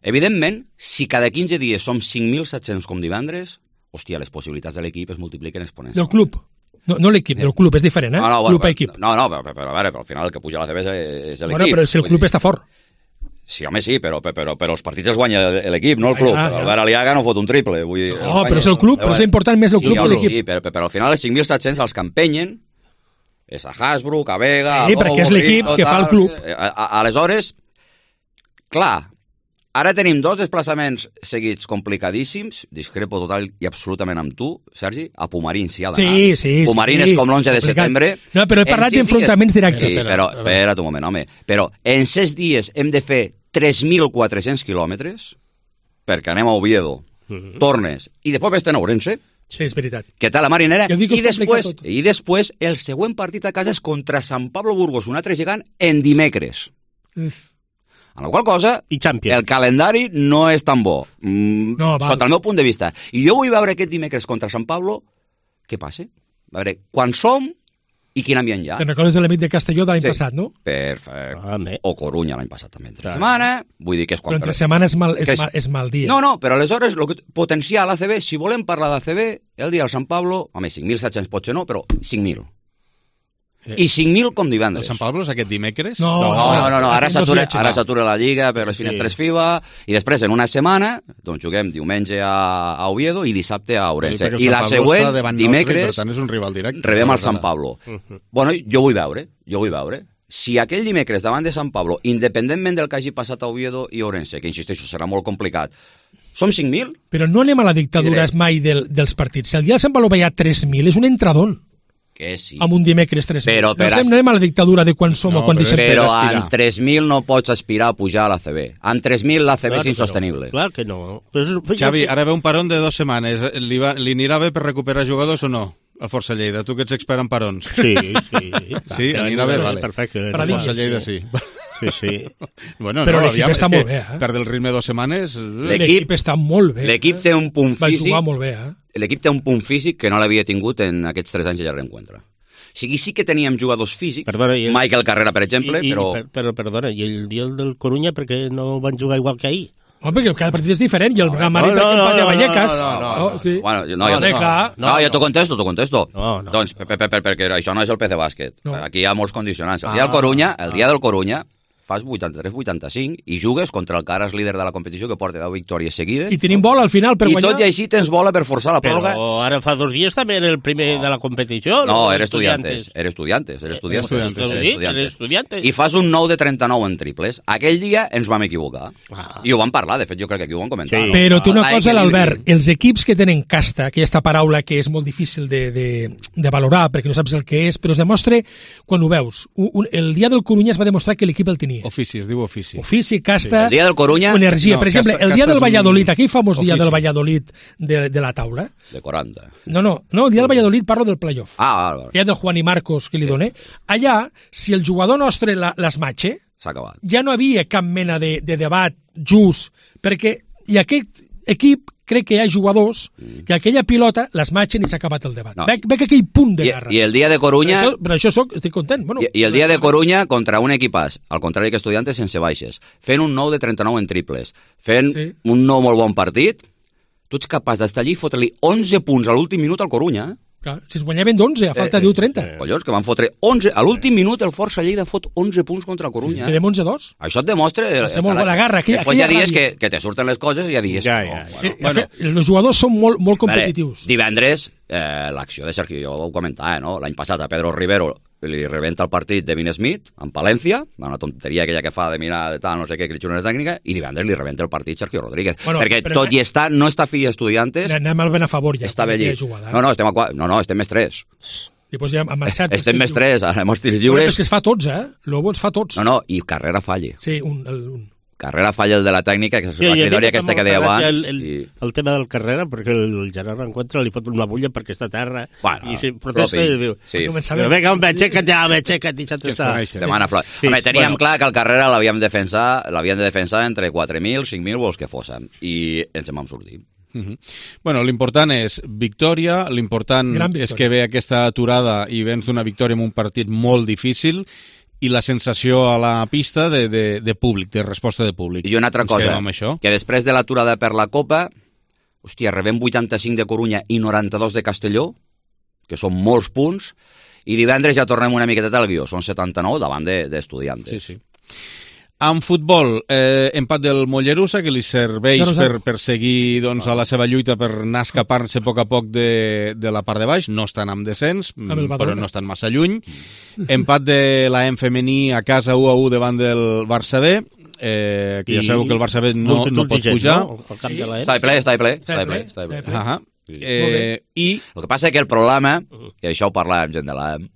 evidentment, si cada 15 dies som 5.700 com divendres, hòstia, les possibilitats de l'equip es multipliquen exponencialment. Del club. No l'equip, del club, és diferent, eh? Club a equip. No, però a veure, al final el que puja a la CB és l'equip. Bueno, però si el club està fort. Sí, home, sí, però els partits els guanya l'equip, no el club. Albert Aliaga no fot un triple. No, però és el club, però és important més el club que l'equip. Sí, però al final els 5.700 els que empenyen és a Hasbrook, a Vega... Sí, perquè és l'equip que fa el club. Aleshores, clar, ara tenim 2 desplaçaments seguits complicadíssims, discrepo total i absolutament amb tu, Sergi, a Pumarín s'hi ha d'anar. Sí. Pumarín és com l'11 de setembre. No, però he parlat d'enfrontaments directes. Sí, però espera't un moment, home. Però en 6 dies hem de fer 3.400 quilòmetres perquè anem a Oviedo, tornes, i després vés-te'n a Ourense. Sí, és veritat. Que tal la marinera? I després el següent partit a casa és contra Sant Pablo Burgos, un altre gegant, en dimecres. En la qual cosa, el calendari no és tan bo, sota el meu punt de vista. I jo vull veure aquest dimecres contra Sant Pablo, què passa? A veure, quan som i quin ambient hi ha. Te'n recordes de l'amic de Castelló de l'any passat, no? Perfecte. O Corunya l'any passat també, entre setmana. Vull dir que és quan... Però entre setmana és mal dia. No, però aleshores, potenciar l'ACB, si volem parlar d'ACB, el dia del Sant Pablo, home, 5.700 potser no, però 5.000. I 5.000 com divendres. El Sant Pablo és aquest dimecres? No, ara s'atura la Lliga per les finestres FIBA i després en una setmana doncs juguem diumenge a Oviedo i dissabte a Ourense. I la següent, dimecres, rebem el Sant Pablo. Bueno, jo vull veure. Si aquell dimecres davant de Sant Pablo, independentment del que hagi passat a Oviedo i Ourense, que insisteixo, serà molt complicat, som 5.000? Però no anem a la dictadura mai dels partits. Si el dia del Sant Pablo veia 3.000, és un entradón. Que sí. Amb un dimecres 3.000. No anem a la dictadura de quan som o quan deixem. Però amb 3.000 no pots aspirar a pujar a l'ACB. Amb 3.000 l'ACB és insostenible. Clar que no. Xavi, ara ve un parón de 2 setmanes. Li anirà bé per recuperar jugadors o no? A Força Lleida, tu que ets expert en parons. Sí. Sí, anirà bé, vale. Perfecte. A Força Lleida sí. Sí. Bueno, però l'equip està molt bé, perd el ritme 2 setmanes... L'equip està molt bé. L'equip té un punt físic... Va jugar molt bé, L'equip té un punt físic que no l'havia tingut en aquests 3 anys de reencuentre. O sigui, sí que teníem jugadors físics, Michael Carrera, per exemple, però... Però, perdona, i el dia del Corunya, perquè no van jugar igual que ahir? Home, perquè cada partit és diferent, i el Real Madrid empat a Vallecas. No. Bueno, jo t'ho contesto. Doncs, perquè això no és el PC Bàsquet. Aquí hi ha molts condicionants. El dia del Corunya, fas 83-85 i jugues contra el que ara és líder de la competició, que porta 10 victòries seguides. I tenim bola al final per guanyar. I tot i així tens bola per forçar la pròrroga. Però ara fa 2 dies també era el primer de la competició. No, era Estudiantes. I fas un 9 de 39 en triples. Aquell dia ens vam equivocar. I ho vam parlar, de fet, jo crec que aquí ho vam comentar. Sí. Però té una cosa, l'Albert, els equips que tenen casta, aquesta paraula que és molt difícil de valorar, perquè no saps el que és, però es demostra quan ho veus. El dia del Corunya es va demostrar que l'equip el tenia. Ofici, es diu ofici. Ofici, casta... El dia del Corunya... Energia. Per exemple, el dia del Valladolid, aquell famós dia del Valladolid de la taula... De 40. No, el dia del Valladolid parlo del playoff. Vale. Ja del Juan i Marcos que li doné. Allà, si el jugador nostre l'esmatxa, s'ha acabat. Ja no havia cap mena de debat just, perquè i aquest equip crec que hi ha jugadors que aquella pilota l'esmatxen i s'ha acabat el debat. Veig aquell punt de guerra. I el dia de Corunya... Per això estic content. Bueno, I el dia de Corunya contra un equipàs, al contrari que Estudiantes, sense baixes, fent un 9 de 39 en triples, fent un no molt bon partit, tu ets capaç d'estar allí i fotre-li 11 punts a l'últim minut al Corunya, Clar, si es guanyaven d'11, a falta de 10-30. Collons, que van fotre 11. A l'últim minut el Força Lleida fot 11 punts contra el Corunya. Quedem 11-2. Això et demostra... la garra. Després hi ha dies que te surten les coses i hi ha dies que no. Els jugadors són molt competitius. Divendres, l'acció de Sergio, jo ho comentava, no? L'any passat a Pedro Rivero li rebenta el partit de Vin Smith, en Palència, una tonteria aquella que fa de mirar de tal, no sé què, que li xuta una tècnica, i divendres li rebenta el partit Sergio Rodríguez. Perquè tot i estar, no està fill d'Estudiantes... Anem al ben a favor ja. Està bé allí. Estem més 3. I doncs ja amb el 7... Estem més 3, anem als tirs lliures... És que es fa tots, Lobo els fa tots. No, i Carrera falla. Sí, Carrera falla el de la tècnica, que és la cridòria aquesta que deia abans. El tema del Carrera, perquè el Gerard Rencontre li fot una bulla perquè està a terra i protesta i diu... Vinga, home, aixeca't ja, i ja t'està. Demana flor. Teníem clar que el Carrera l'havíem de defensar entre 4.000, 5.000 o els que fóssim, i ens en vam sortir. Bueno, l'important és victòria, l'important és que ve aquesta aturada i vens d'una victòria en un partit molt difícil, i la sensació a la pista de públic, de resposta de públic. I una altra cosa, que després de l'aturada per la Copa, rebem 85 de Corunya i 92 de Castelló, que són molts punts, i divendres ja tornem una miqueta al guió, són 79 davant d'Estudiantes. Sí. En futbol, empat del Mollerussa, que li serveix per seguir a la seva lluita per anar escapant-se a poc de la part de baix. No estan amb descens, però no estan massa lluny. Empat de l'AM femení a casa 1-1 davant del Barça B, que ja sabeu que el Barça B no pot pujar. Està ple. I el que passa és que el problema, i això ho parlàvem amb gent de l'AM,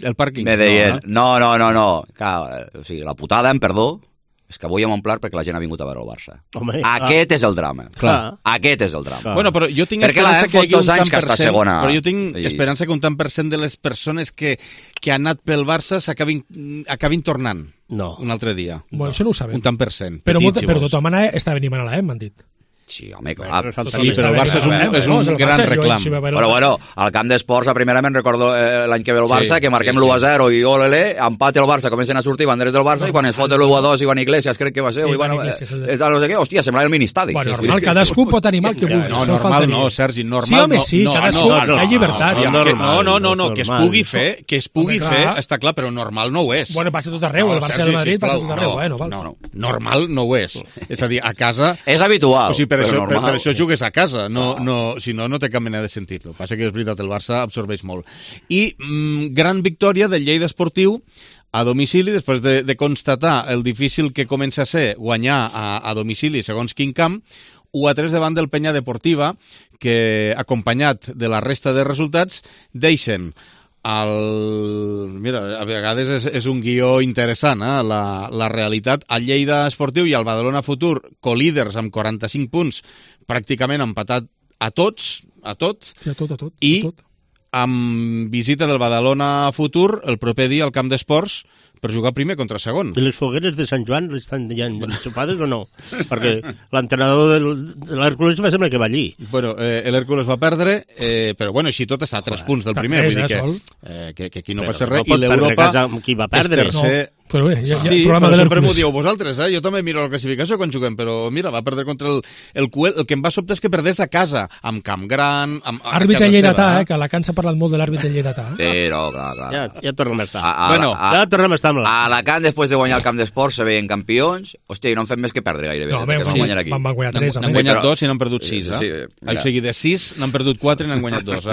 el pàrquing. Me deien, no. O sigui, la putada, em perdó, és que avui hem omplert perquè la gent ha vingut a veure el Barça. Aquest és el drama. Aquest és el drama. Bueno, però jo tinc esperança que hi hagi un tant per cent, però jo tinc esperança que un tant per cent de les persones que han anat pel Barça acabin tornant un altre dia. Bueno, això no ho sabem. Un tant per cent. Però de tota manera està venint a l'AM, m'han dit. Sí, home, clar. Sí, però el Barça és un gran reclam. Però bueno, al camp d'esports, a primera me'n recordo l'any que ve el Barça, que marquem l'1-0 i olele, empate el Barça, comencen a sortir banderes del Barça, i quan es fot l'1-2 Ivan Iglesias, crec que va ser, hòstia, semblava el ministadi. Bueno, normal, cadascú pot animar el que vulgui. No, normal no, Sergi, normal no. Sí, home, sí, cadascú, hi ha llibertat. No, que es pugui fer, està clar, però normal no ho és. Bueno, passa tot arreu, el Barça de Madrid passa tot arreu. No, normal no ho és. És a dir, a casa... És habitual. O sigui, per això jugues a casa, si no, no té cap mena de sentit. El que passa que és veritat, el Barça absorbeix molt. I gran victòria del Lleida Esportiu a domicili, després de constatar el difícil que comença a ser guanyar a domicili segons quin camp, 1-3 davant del Penya Deportiva, que, acompanyat de la resta de resultats, deixen mira, a vegades és un guió interessant, la realitat. El Lleida Esportiu i el Badalona Futur, colíders amb 45 punts, pràcticament empatat a tot, i amb visita del Badalona Futur el proper dia al camp d'esports per jugar primer contra segon. I les fogueres de Sant Joan estan ja enxupades o no? Perquè l'entrenador de l'Hèrcules me sembla que va allí. Bueno, l'Hèrcules va perdre, però bueno, així tot està a 3 punts del primer, vull dir que aquí no passa res, i l'Europa qui va perdre. Però bé, sí, però sempre m'ho dieu vosaltres, jo també miro la classificació quan juguem, però mira, va perdre contra el Cuel. El que em va sobtar és que perdés a casa, amb Camp Gran, àrbitre lleidatà, que a Alacant s'ha parlat molt de l'àrbitre lleidatà. Sí, no, clar. Ja tornem a estar. Ja tornem a estar amb a Alacant, després de guanyar el camp d'esports, se veien campions. Hòstia, i no han fet més que perdre gairebé. No, van guanyar 3. N'han guanyat 2 i n'han perdut 6, O sigui, de 6 n'han perdut 4 i n'han guanyat 2,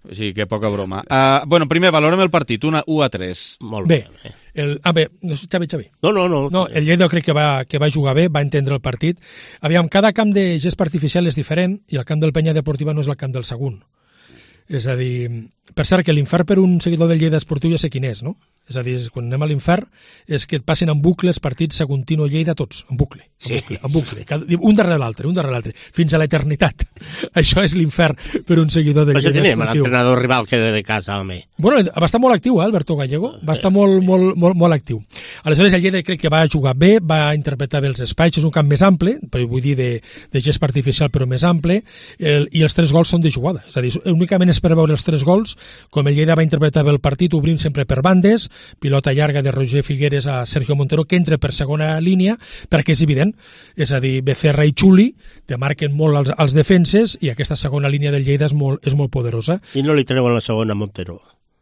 O sigui, que poca broma. Bueno, primer, valorem el partit, 1-3. Molt bé. Xavi. No, el Lleida crec que va jugar bé, va entendre el partit. Aviam, cada camp de gest artificial és diferent i el camp del Penya Deportiva no és el camp del Sagunt. És a dir, per cert, que l'infern per un seguidor del Lleida Esportiu ja sé quin és, no? És a dir, quan anem a l'infern és que et passin en bucle els partits Saguntino Lleida tots, en bucle, un darrere l'altre, fins a l'eternitat. Això és l'infern per un seguidor del Lleida Esportiu. Això tenim l'entrenador rival que era de casa, home. Bueno, va estar molt actiu, Alberto Gallego, va estar molt actiu. Aleshores, el Lleida crec que va jugar bé, va interpretar bé els espais, és un camp més ample, però vull dir de gest artificial però més ample, i els 3 gols són de jugada. És a dir, únicament és per veure els 3 gols, com el Lleida va interpretar bé el partit, obrint sempre per bandes, pilota llarga de Roger Figueres a Sergio Montero, que entra per segona línia, perquè és evident, és a dir, Becerra i Xuli te marquen molt els defenses i aquesta segona línia del Lleida és molt poderosa. I no li treuen la segona a Montero?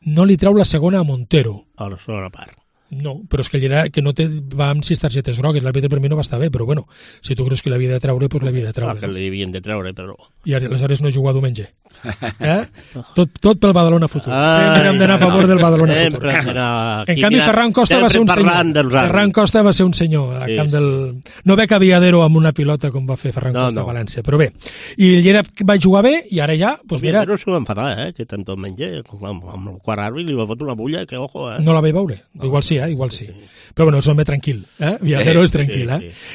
No li treu la segona a Montero. A la segona part. No, però és que el Lleida que no va amb 6 targetes grogues, l'àrbitre per mi no va estar bé, però bueno, si tu creus que l'havia de treure, doncs l'havia de treure. Que l'havien de treure, però... I aleshores no jugar diumenge. Tot pel Badalona Futur. Sempre hem d'anar a favor del Badalona Futur. En canvi, Ferran Costa va ser un senyor. Ferran Costa va ser un senyor. No ve Caviadero amb una pilota com va fer Ferran Costa a València, però bé. I el Lleida va jugar bé i ara ja, doncs mira... Però s'ho va enfadar, que tant tot menja, amb el quart àrbit li va fotre una bulla, que ojo, No la vaig veure, igual sí. Però bueno, és un home tranquil, Viajero és tranquil,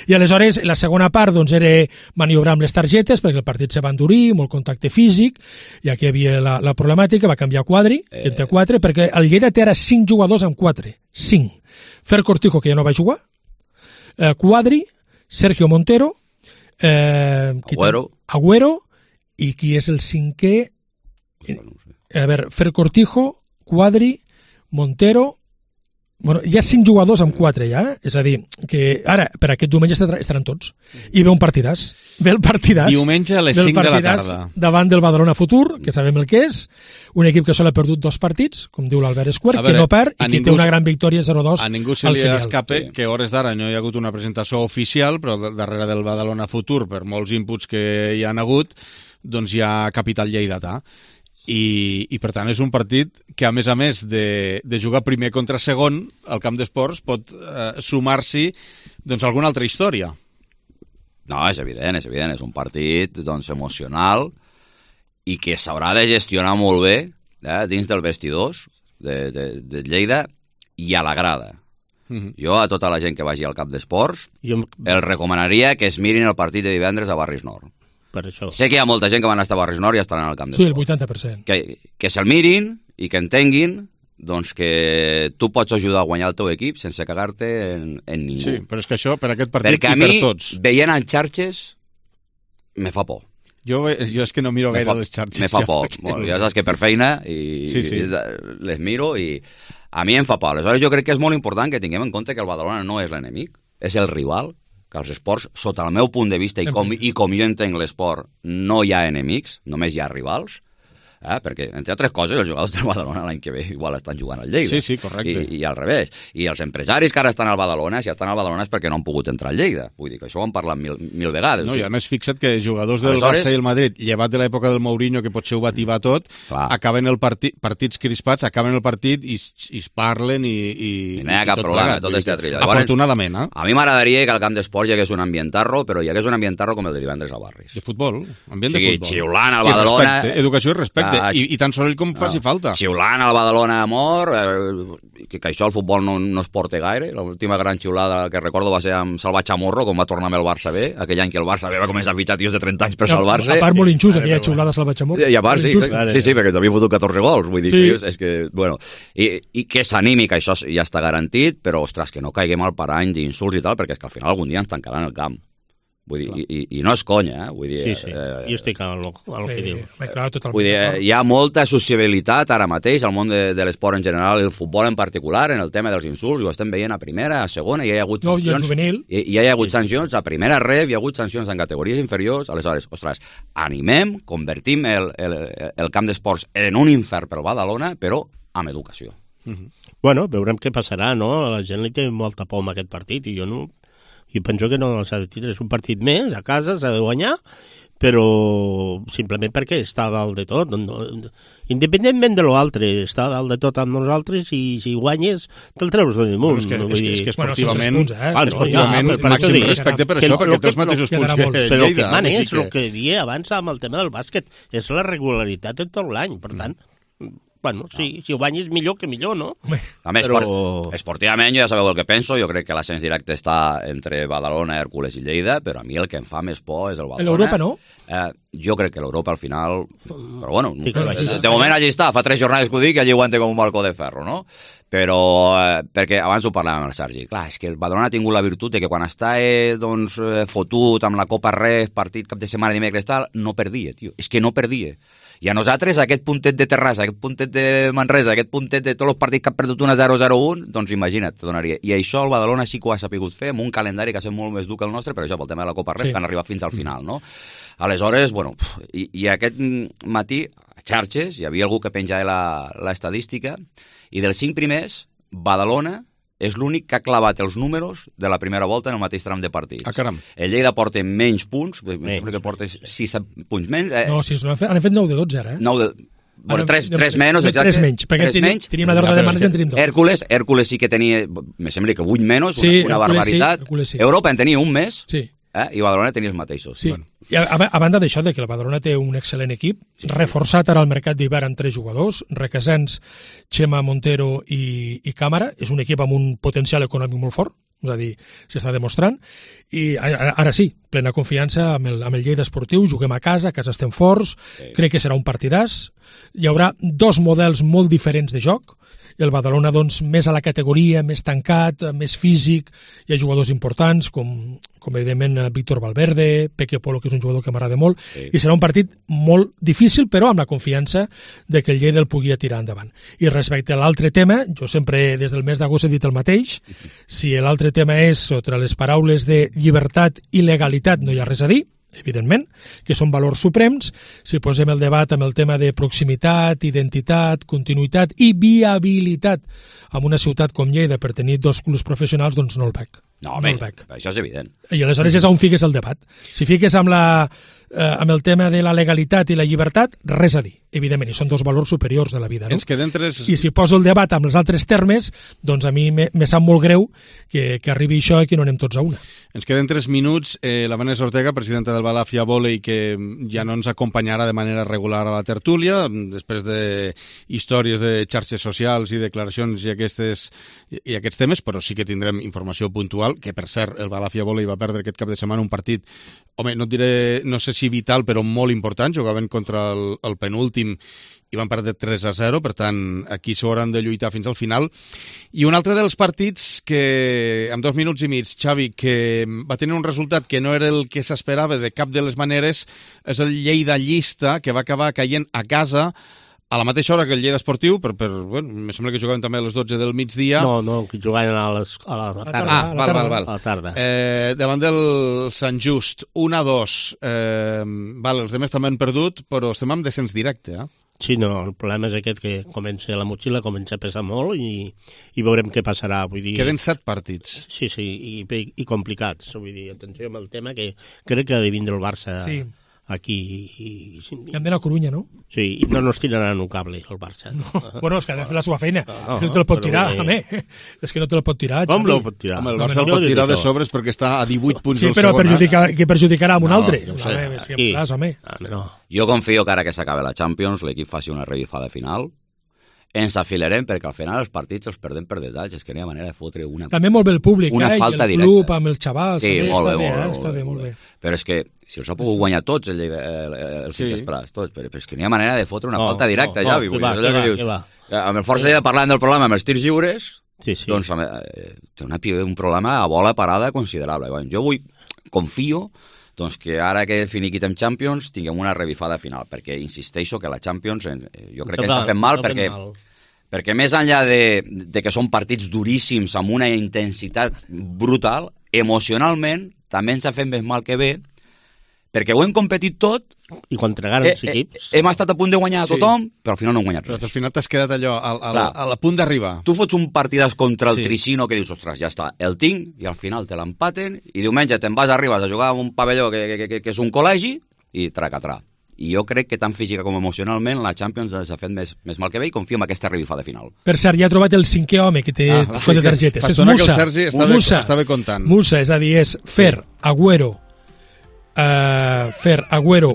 I aleshores, la segona part, doncs, era maniobrar amb les targetes, perquè el partit se va endurir, molt contacte físic, i aquí hi havia la problemàtica, va canviar Quadri, entre 4, perquè el Lleida té ara 5 jugadors amb 4, 5. Fer Cortijo, que ja no va jugar, Quadri, Sergio Montero, Agüero, i qui és el 5è? A veure, Fer Cortijo, Quadri, Montero... Bueno, hi ha 5 jugadors amb 4 ja, és a dir, que ara, per aquest diumenge estaran tots. I ve un partidàs. Ve el partidàs. Diumenge a les 5 de la tarda. Davant del Badalona Futur, que sabem el que és, un equip que sol ha perdut 2 partits, com diu l'Albert Esquer, que no perd i que té una gran victòria 0-2. A ningú se li escape que a hores d'ara no hi ha hagut una presentació oficial, però darrere del Badalona Futur, per molts inputs que hi han hagut, doncs hi ha capital lleidatà. I per tant és un partit que a més de jugar primer contra segon al camp d'esports pot sumar-s'hi doncs alguna altra història. No, és evident, és un partit doncs emocional i que s'haurà de gestionar molt bé dins del vestidors de Lleida i a la grada. Jo a tota la gent que vagi al camp d'esports els recomanaria que es mirin el partit de divendres a Barris Nord. Sé que hi ha molta gent que van estar a Barris Nord i estaran al camp d'esports. Sí, el 80%. Que se'l mirin i que entenguin doncs que tu pots ajudar a guanyar el teu equip sense cagar-te en ningú. Sí, però és que això per aquest partit i per tots. Perquè a mi, veient en xarxes, me fa por. Jo és que no miro gaire les xarxes. Me fa por. Ja saps que per feina les miro i a mi em fa por. Aleshores jo crec que és molt important que tinguem en compte que el Badalona no és l'enemic, és el rival, que els esports, sota el meu punt de vista i com jo entenc l'esport, no hi ha enemics, només hi ha rivals, perquè, entre altres coses, els jugadors del Badalona l'any que ve igual estan jugant al Lleida. Sí, correcte. I al revés. I els empresaris que ara estan al Badalona, si estan al Badalona és perquè no han pogut entrar al Lleida. Vull dir que això ho hem parlat mil vegades. No, i a més fixa't que jugadors del Barça i el Madrid, llevat de l'època del Mourinho, que potser ho va tibar tot, acaben el partits crispats, acaben el partit i es parlen i no hi ha cap problema, tot és teatrillo. Afortunadament, A mi m'agradaria que al camp d'esports hi hagués un ambientarro, però hi hagués un ambientarro com el de divendres a Barris. De futbol, ambient de futbol. Xiulant al Badalona. Educació i respecte. I tan soroll com faci falta. Xiulant al Badalona a mort, que això al futbol no es porta gaire. L'última gran xiulada que recordo va ser amb Salvat Chamorro, quan va tornar amb el Barça B, aquell any que el Barça B va començar a fitxar tios de 30 anys per salvar-se. A part molt injust, aquella xiulada Salvat Chamorro. I a part, sí, perquè t'havia fotut 14 gols. Vull dir, és que, bueno, i que s'animi, que això ja està garantit, però, ostres, que no caiguem al parany d'insults i tal, perquè és que al final algun dia ens tancaran el camp. Vull dir, i no és conya, Vull dir, sí, jo estic al que diu. Vull dir, hi ha molta sociabilitat ara mateix al món de l'esport en general, el futbol en particular, en el tema dels insults, ho estem veient a primera, a segona, hi ha hagut sancions. Hi ha hagut sancions a primera ref, hi ha hagut sancions en categories inferiors, aleshores, ostres, animem, convertim el camp d'esports en un infern pel Badalona, però amb educació. Bueno, veurem què passarà, no? La gent li té molta por amb aquest partit i jo penso que no s'ha de tirar. És un partit més, a casa s'ha de guanyar, però simplement perquè està a dalt de tot. Independentment de l'altre, està a dalt de tot amb nosaltres i si guanyes te'l treus de damunt. És que esportivament màxim respecte per això, perquè té els mateixos punts que Lleida. Però el que mana és el que dia abans amb el tema del bàsquet, és la regularitat de tot l'any, per tant... Bueno, si ho guanyes millor que millor, no? A més, esportivament, ja sabeu el que penso, jo crec que l'ascens directe està entre Badalona, Hèrcules i Lleida, però a mi el que em fa més por és el Badalona. L'Europa, no? Jo crec que l'Europa al final... Però bueno, de moment allí està, fa 3 jornades que ho dic i allí aguanta com un balcó de ferro, no? Però, perquè abans ho parlàvem amb el Sergi, clar, és que el Badalona ha tingut la virtut de que quan està fotut amb la Copa Ref, partit cap de setmana, dimecres, tal, no perdia, tio, és que no perdia. I a nosaltres, aquest puntet de Terrassa, aquest puntet de Manresa, aquest puntet de tots els partits que han perdut 1-0-0-1, doncs imagina't, te donaria. I això el Badalona sí que ho ha sapigut fer, amb un calendari que ha estat molt més dur que el nostre, per això, pel tema de la Copa Ref, que han arribat fins al final, no? Aleshores, bueno, i aquest matí, a xarxes, hi havia algú que penjava l'estadística, i dels 5 primers, Badalona és l'únic que ha clavat els números de la primera volta en el mateix tram de partits. Caram. El Lleida porta menys punts, que porta 6 punts menys. No, 6, han fet 9 de 12 ara, 9 de... Bueno, 3 menys, exacte. 3 menys, perquè teníem la derrota de marge en tenim 2. Hèrcules sí que tenia, me sembla que 8 menys, una barbaritat. Europa en tenia un més. Sí. I Badalona tenia els mateixos. Sí. Bueno. I a banda d'això, que el Badalona té un excel·lent equip, reforçat ara al mercat d'hivern amb 3 jugadors, Requesens, Xema Montero i Càmara, és un equip amb un potencial econòmic molt fort, és a dir, s'està demostrant, i ara sí, plena confiança amb el Lleida esportiu, juguem a casa estem forts, crec que serà un partidàs, hi haurà 2 models molt diferents de joc, el Badalona doncs, més a la categoria, més tancat, més físic, hi ha jugadors importants com evidentment Víctor Valverde, Peque Polo, que és un jugador que m'agrada molt, i serà un partit molt difícil, però amb la confiança de que el Lleida el pugui tirar endavant. I respecte a l'altre tema, jo sempre des del mes d'agost he dit el mateix, si l'altre tema és sota les paraules de llibertat i legalitat no hi ha res a dir, evidentment, que són valors suprems. Si posem el debat amb el tema de proximitat, identitat, continuïtat i viabilitat en una ciutat com Lleida per tenir 2 clubs professionals, doncs no el veig. No, home, això és evident. I aleshores és on fiques el debat. Si fiques amb el tema de la legalitat i la llibertat, res a dir, evidentment, i són 2 valors superiors de la vida, no? I si poso el debat amb els altres termes, doncs a mi me sap molt greu que arribi això i que no anem tots a una. Ens queden 3 minuts. La Vanessa Ortega, presidenta del Balàfia Volei, que ja no ens acompanyarà de manera regular a la tertúlia, després de històries de xarxes socials i declaracions i aquests temes, però sí que tindrem informació puntual, que per cert, el Balàfia Volei va perdre aquest cap de setmana un partit, home, no diré, no sé si vital, però molt important, jugaven contra el penúltim i van perdre 3-0, per tant, aquí s'ho hauran de lluitar fins al final. I un altre dels partits que, en 2 minuts i mig, Xavi, que va tenir un resultat que no era el que s'esperava de cap de les maneres, és el Lleida Llista, que va acabar caient a casa a la mateixa hora que el Lleida Esportiu, bueno, me sembla que jugaven també a les 12 del migdia. No, que jugaven a la tarda. Val. A la tarda. Davant del Sant Just, 1-2. Els demés també han perdut, però estem amb descens directe, Sí, no, el problema és aquest, que la motxilla comença a pesar molt i veurem què passarà. Vull dir... Queden 7 partits. Sí, i complicats. Vull dir, atenció amb el tema, que crec que ha de vindre el Barça aquí. I han d'anar a Corunya, no? Sí, i no nos tiraran un cable, el Barça. No. Bueno, és que ha de fer la seva feina. No te el pot tirar, home. És que no te el pot tirar. Com no el pot tirar? Home, el Barça el pot tirar de sobres perquè està a 18 punts del segon. Sí, però que perjudicarà amb un altre. No sé. Jo confio que ara que s'acabe la Champions l'equip faci una revifada final. Ens afilarem perquè al final els partits els perdem per detalls, és que no hi ha manera de fotre una també molt bé el públic, una falta i el club amb els xavals, sí, molt bé, està bé, molt bé. Però és que si els ha pogut guanyar tots els Prats, tots, però és que no hi ha manera de fotre una falta directa, Javi. Amb el Força Lleida parlant del problema amb els tirs lliures, doncs té un problema a bola parada considerable. Jo confio doncs que ara que finiquitem Champions tinguem una revifada final, perquè insisteixo que la Champions jo crec que ens ha fet mal perquè més enllà de que són partits duríssims amb una intensitat brutal, emocionalment també ens ha fet més mal que bé, perquè ho hem competit tot i contra grans equips hem estat a punt de guanyar a tothom, però al final no hem guanyat res. Però al final t'has quedat allò a punt d'arribar. Tu fots un partidàs contra el Tricino que dius, ostres, ja està, el tinc, i al final te l'empaten, i diumenge te'n vas, arribes a jugar a un pavelló que és un col·legi, i tracatrà. I jo crec que tant física com emocionalment la Champions s'ha fet més mal que bé i confio en aquesta revifada final. Per cert, ja he trobat el 5è home que té 4 targetes. Fa estona que el Sergi estava comptant. Musa, és a dir, és Fer, Agüero,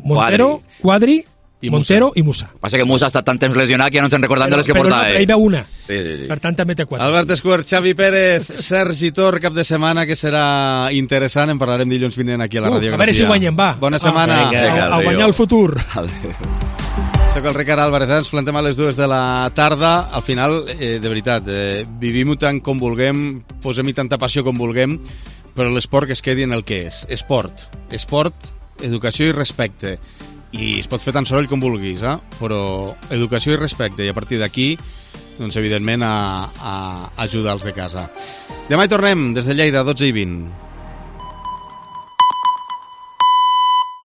Montero, Quadri, Montero i Musa. Passa que Musa ha estat tant temps lesionat que ja no ens en recordem de les que portava. Però ell veu una. Per tant, també té 4. Albert Escuer, Xavi Pérez, Sergi Tor, cap de setmana que serà interessant. En parlarem dilluns vinent aquí a la Radiografia. A veure si guanyem, va. Bona setmana. A guanyar el futur. Soc el Ricard Álvarez, ens plantem a les 2 de la tarda. Al final, de veritat, vivim-ho tant com vulguem, posem-hi tanta passió com vulguem, però l'esport que es quedi en el que és. Esport, educació i respecte. I es pot fer tan soroll com vulguis, però educació i respecte, i a partir d'aquí, doncs evidentment a ajudar els de casa. Demà hi tornem, des de Lleida, 12:20.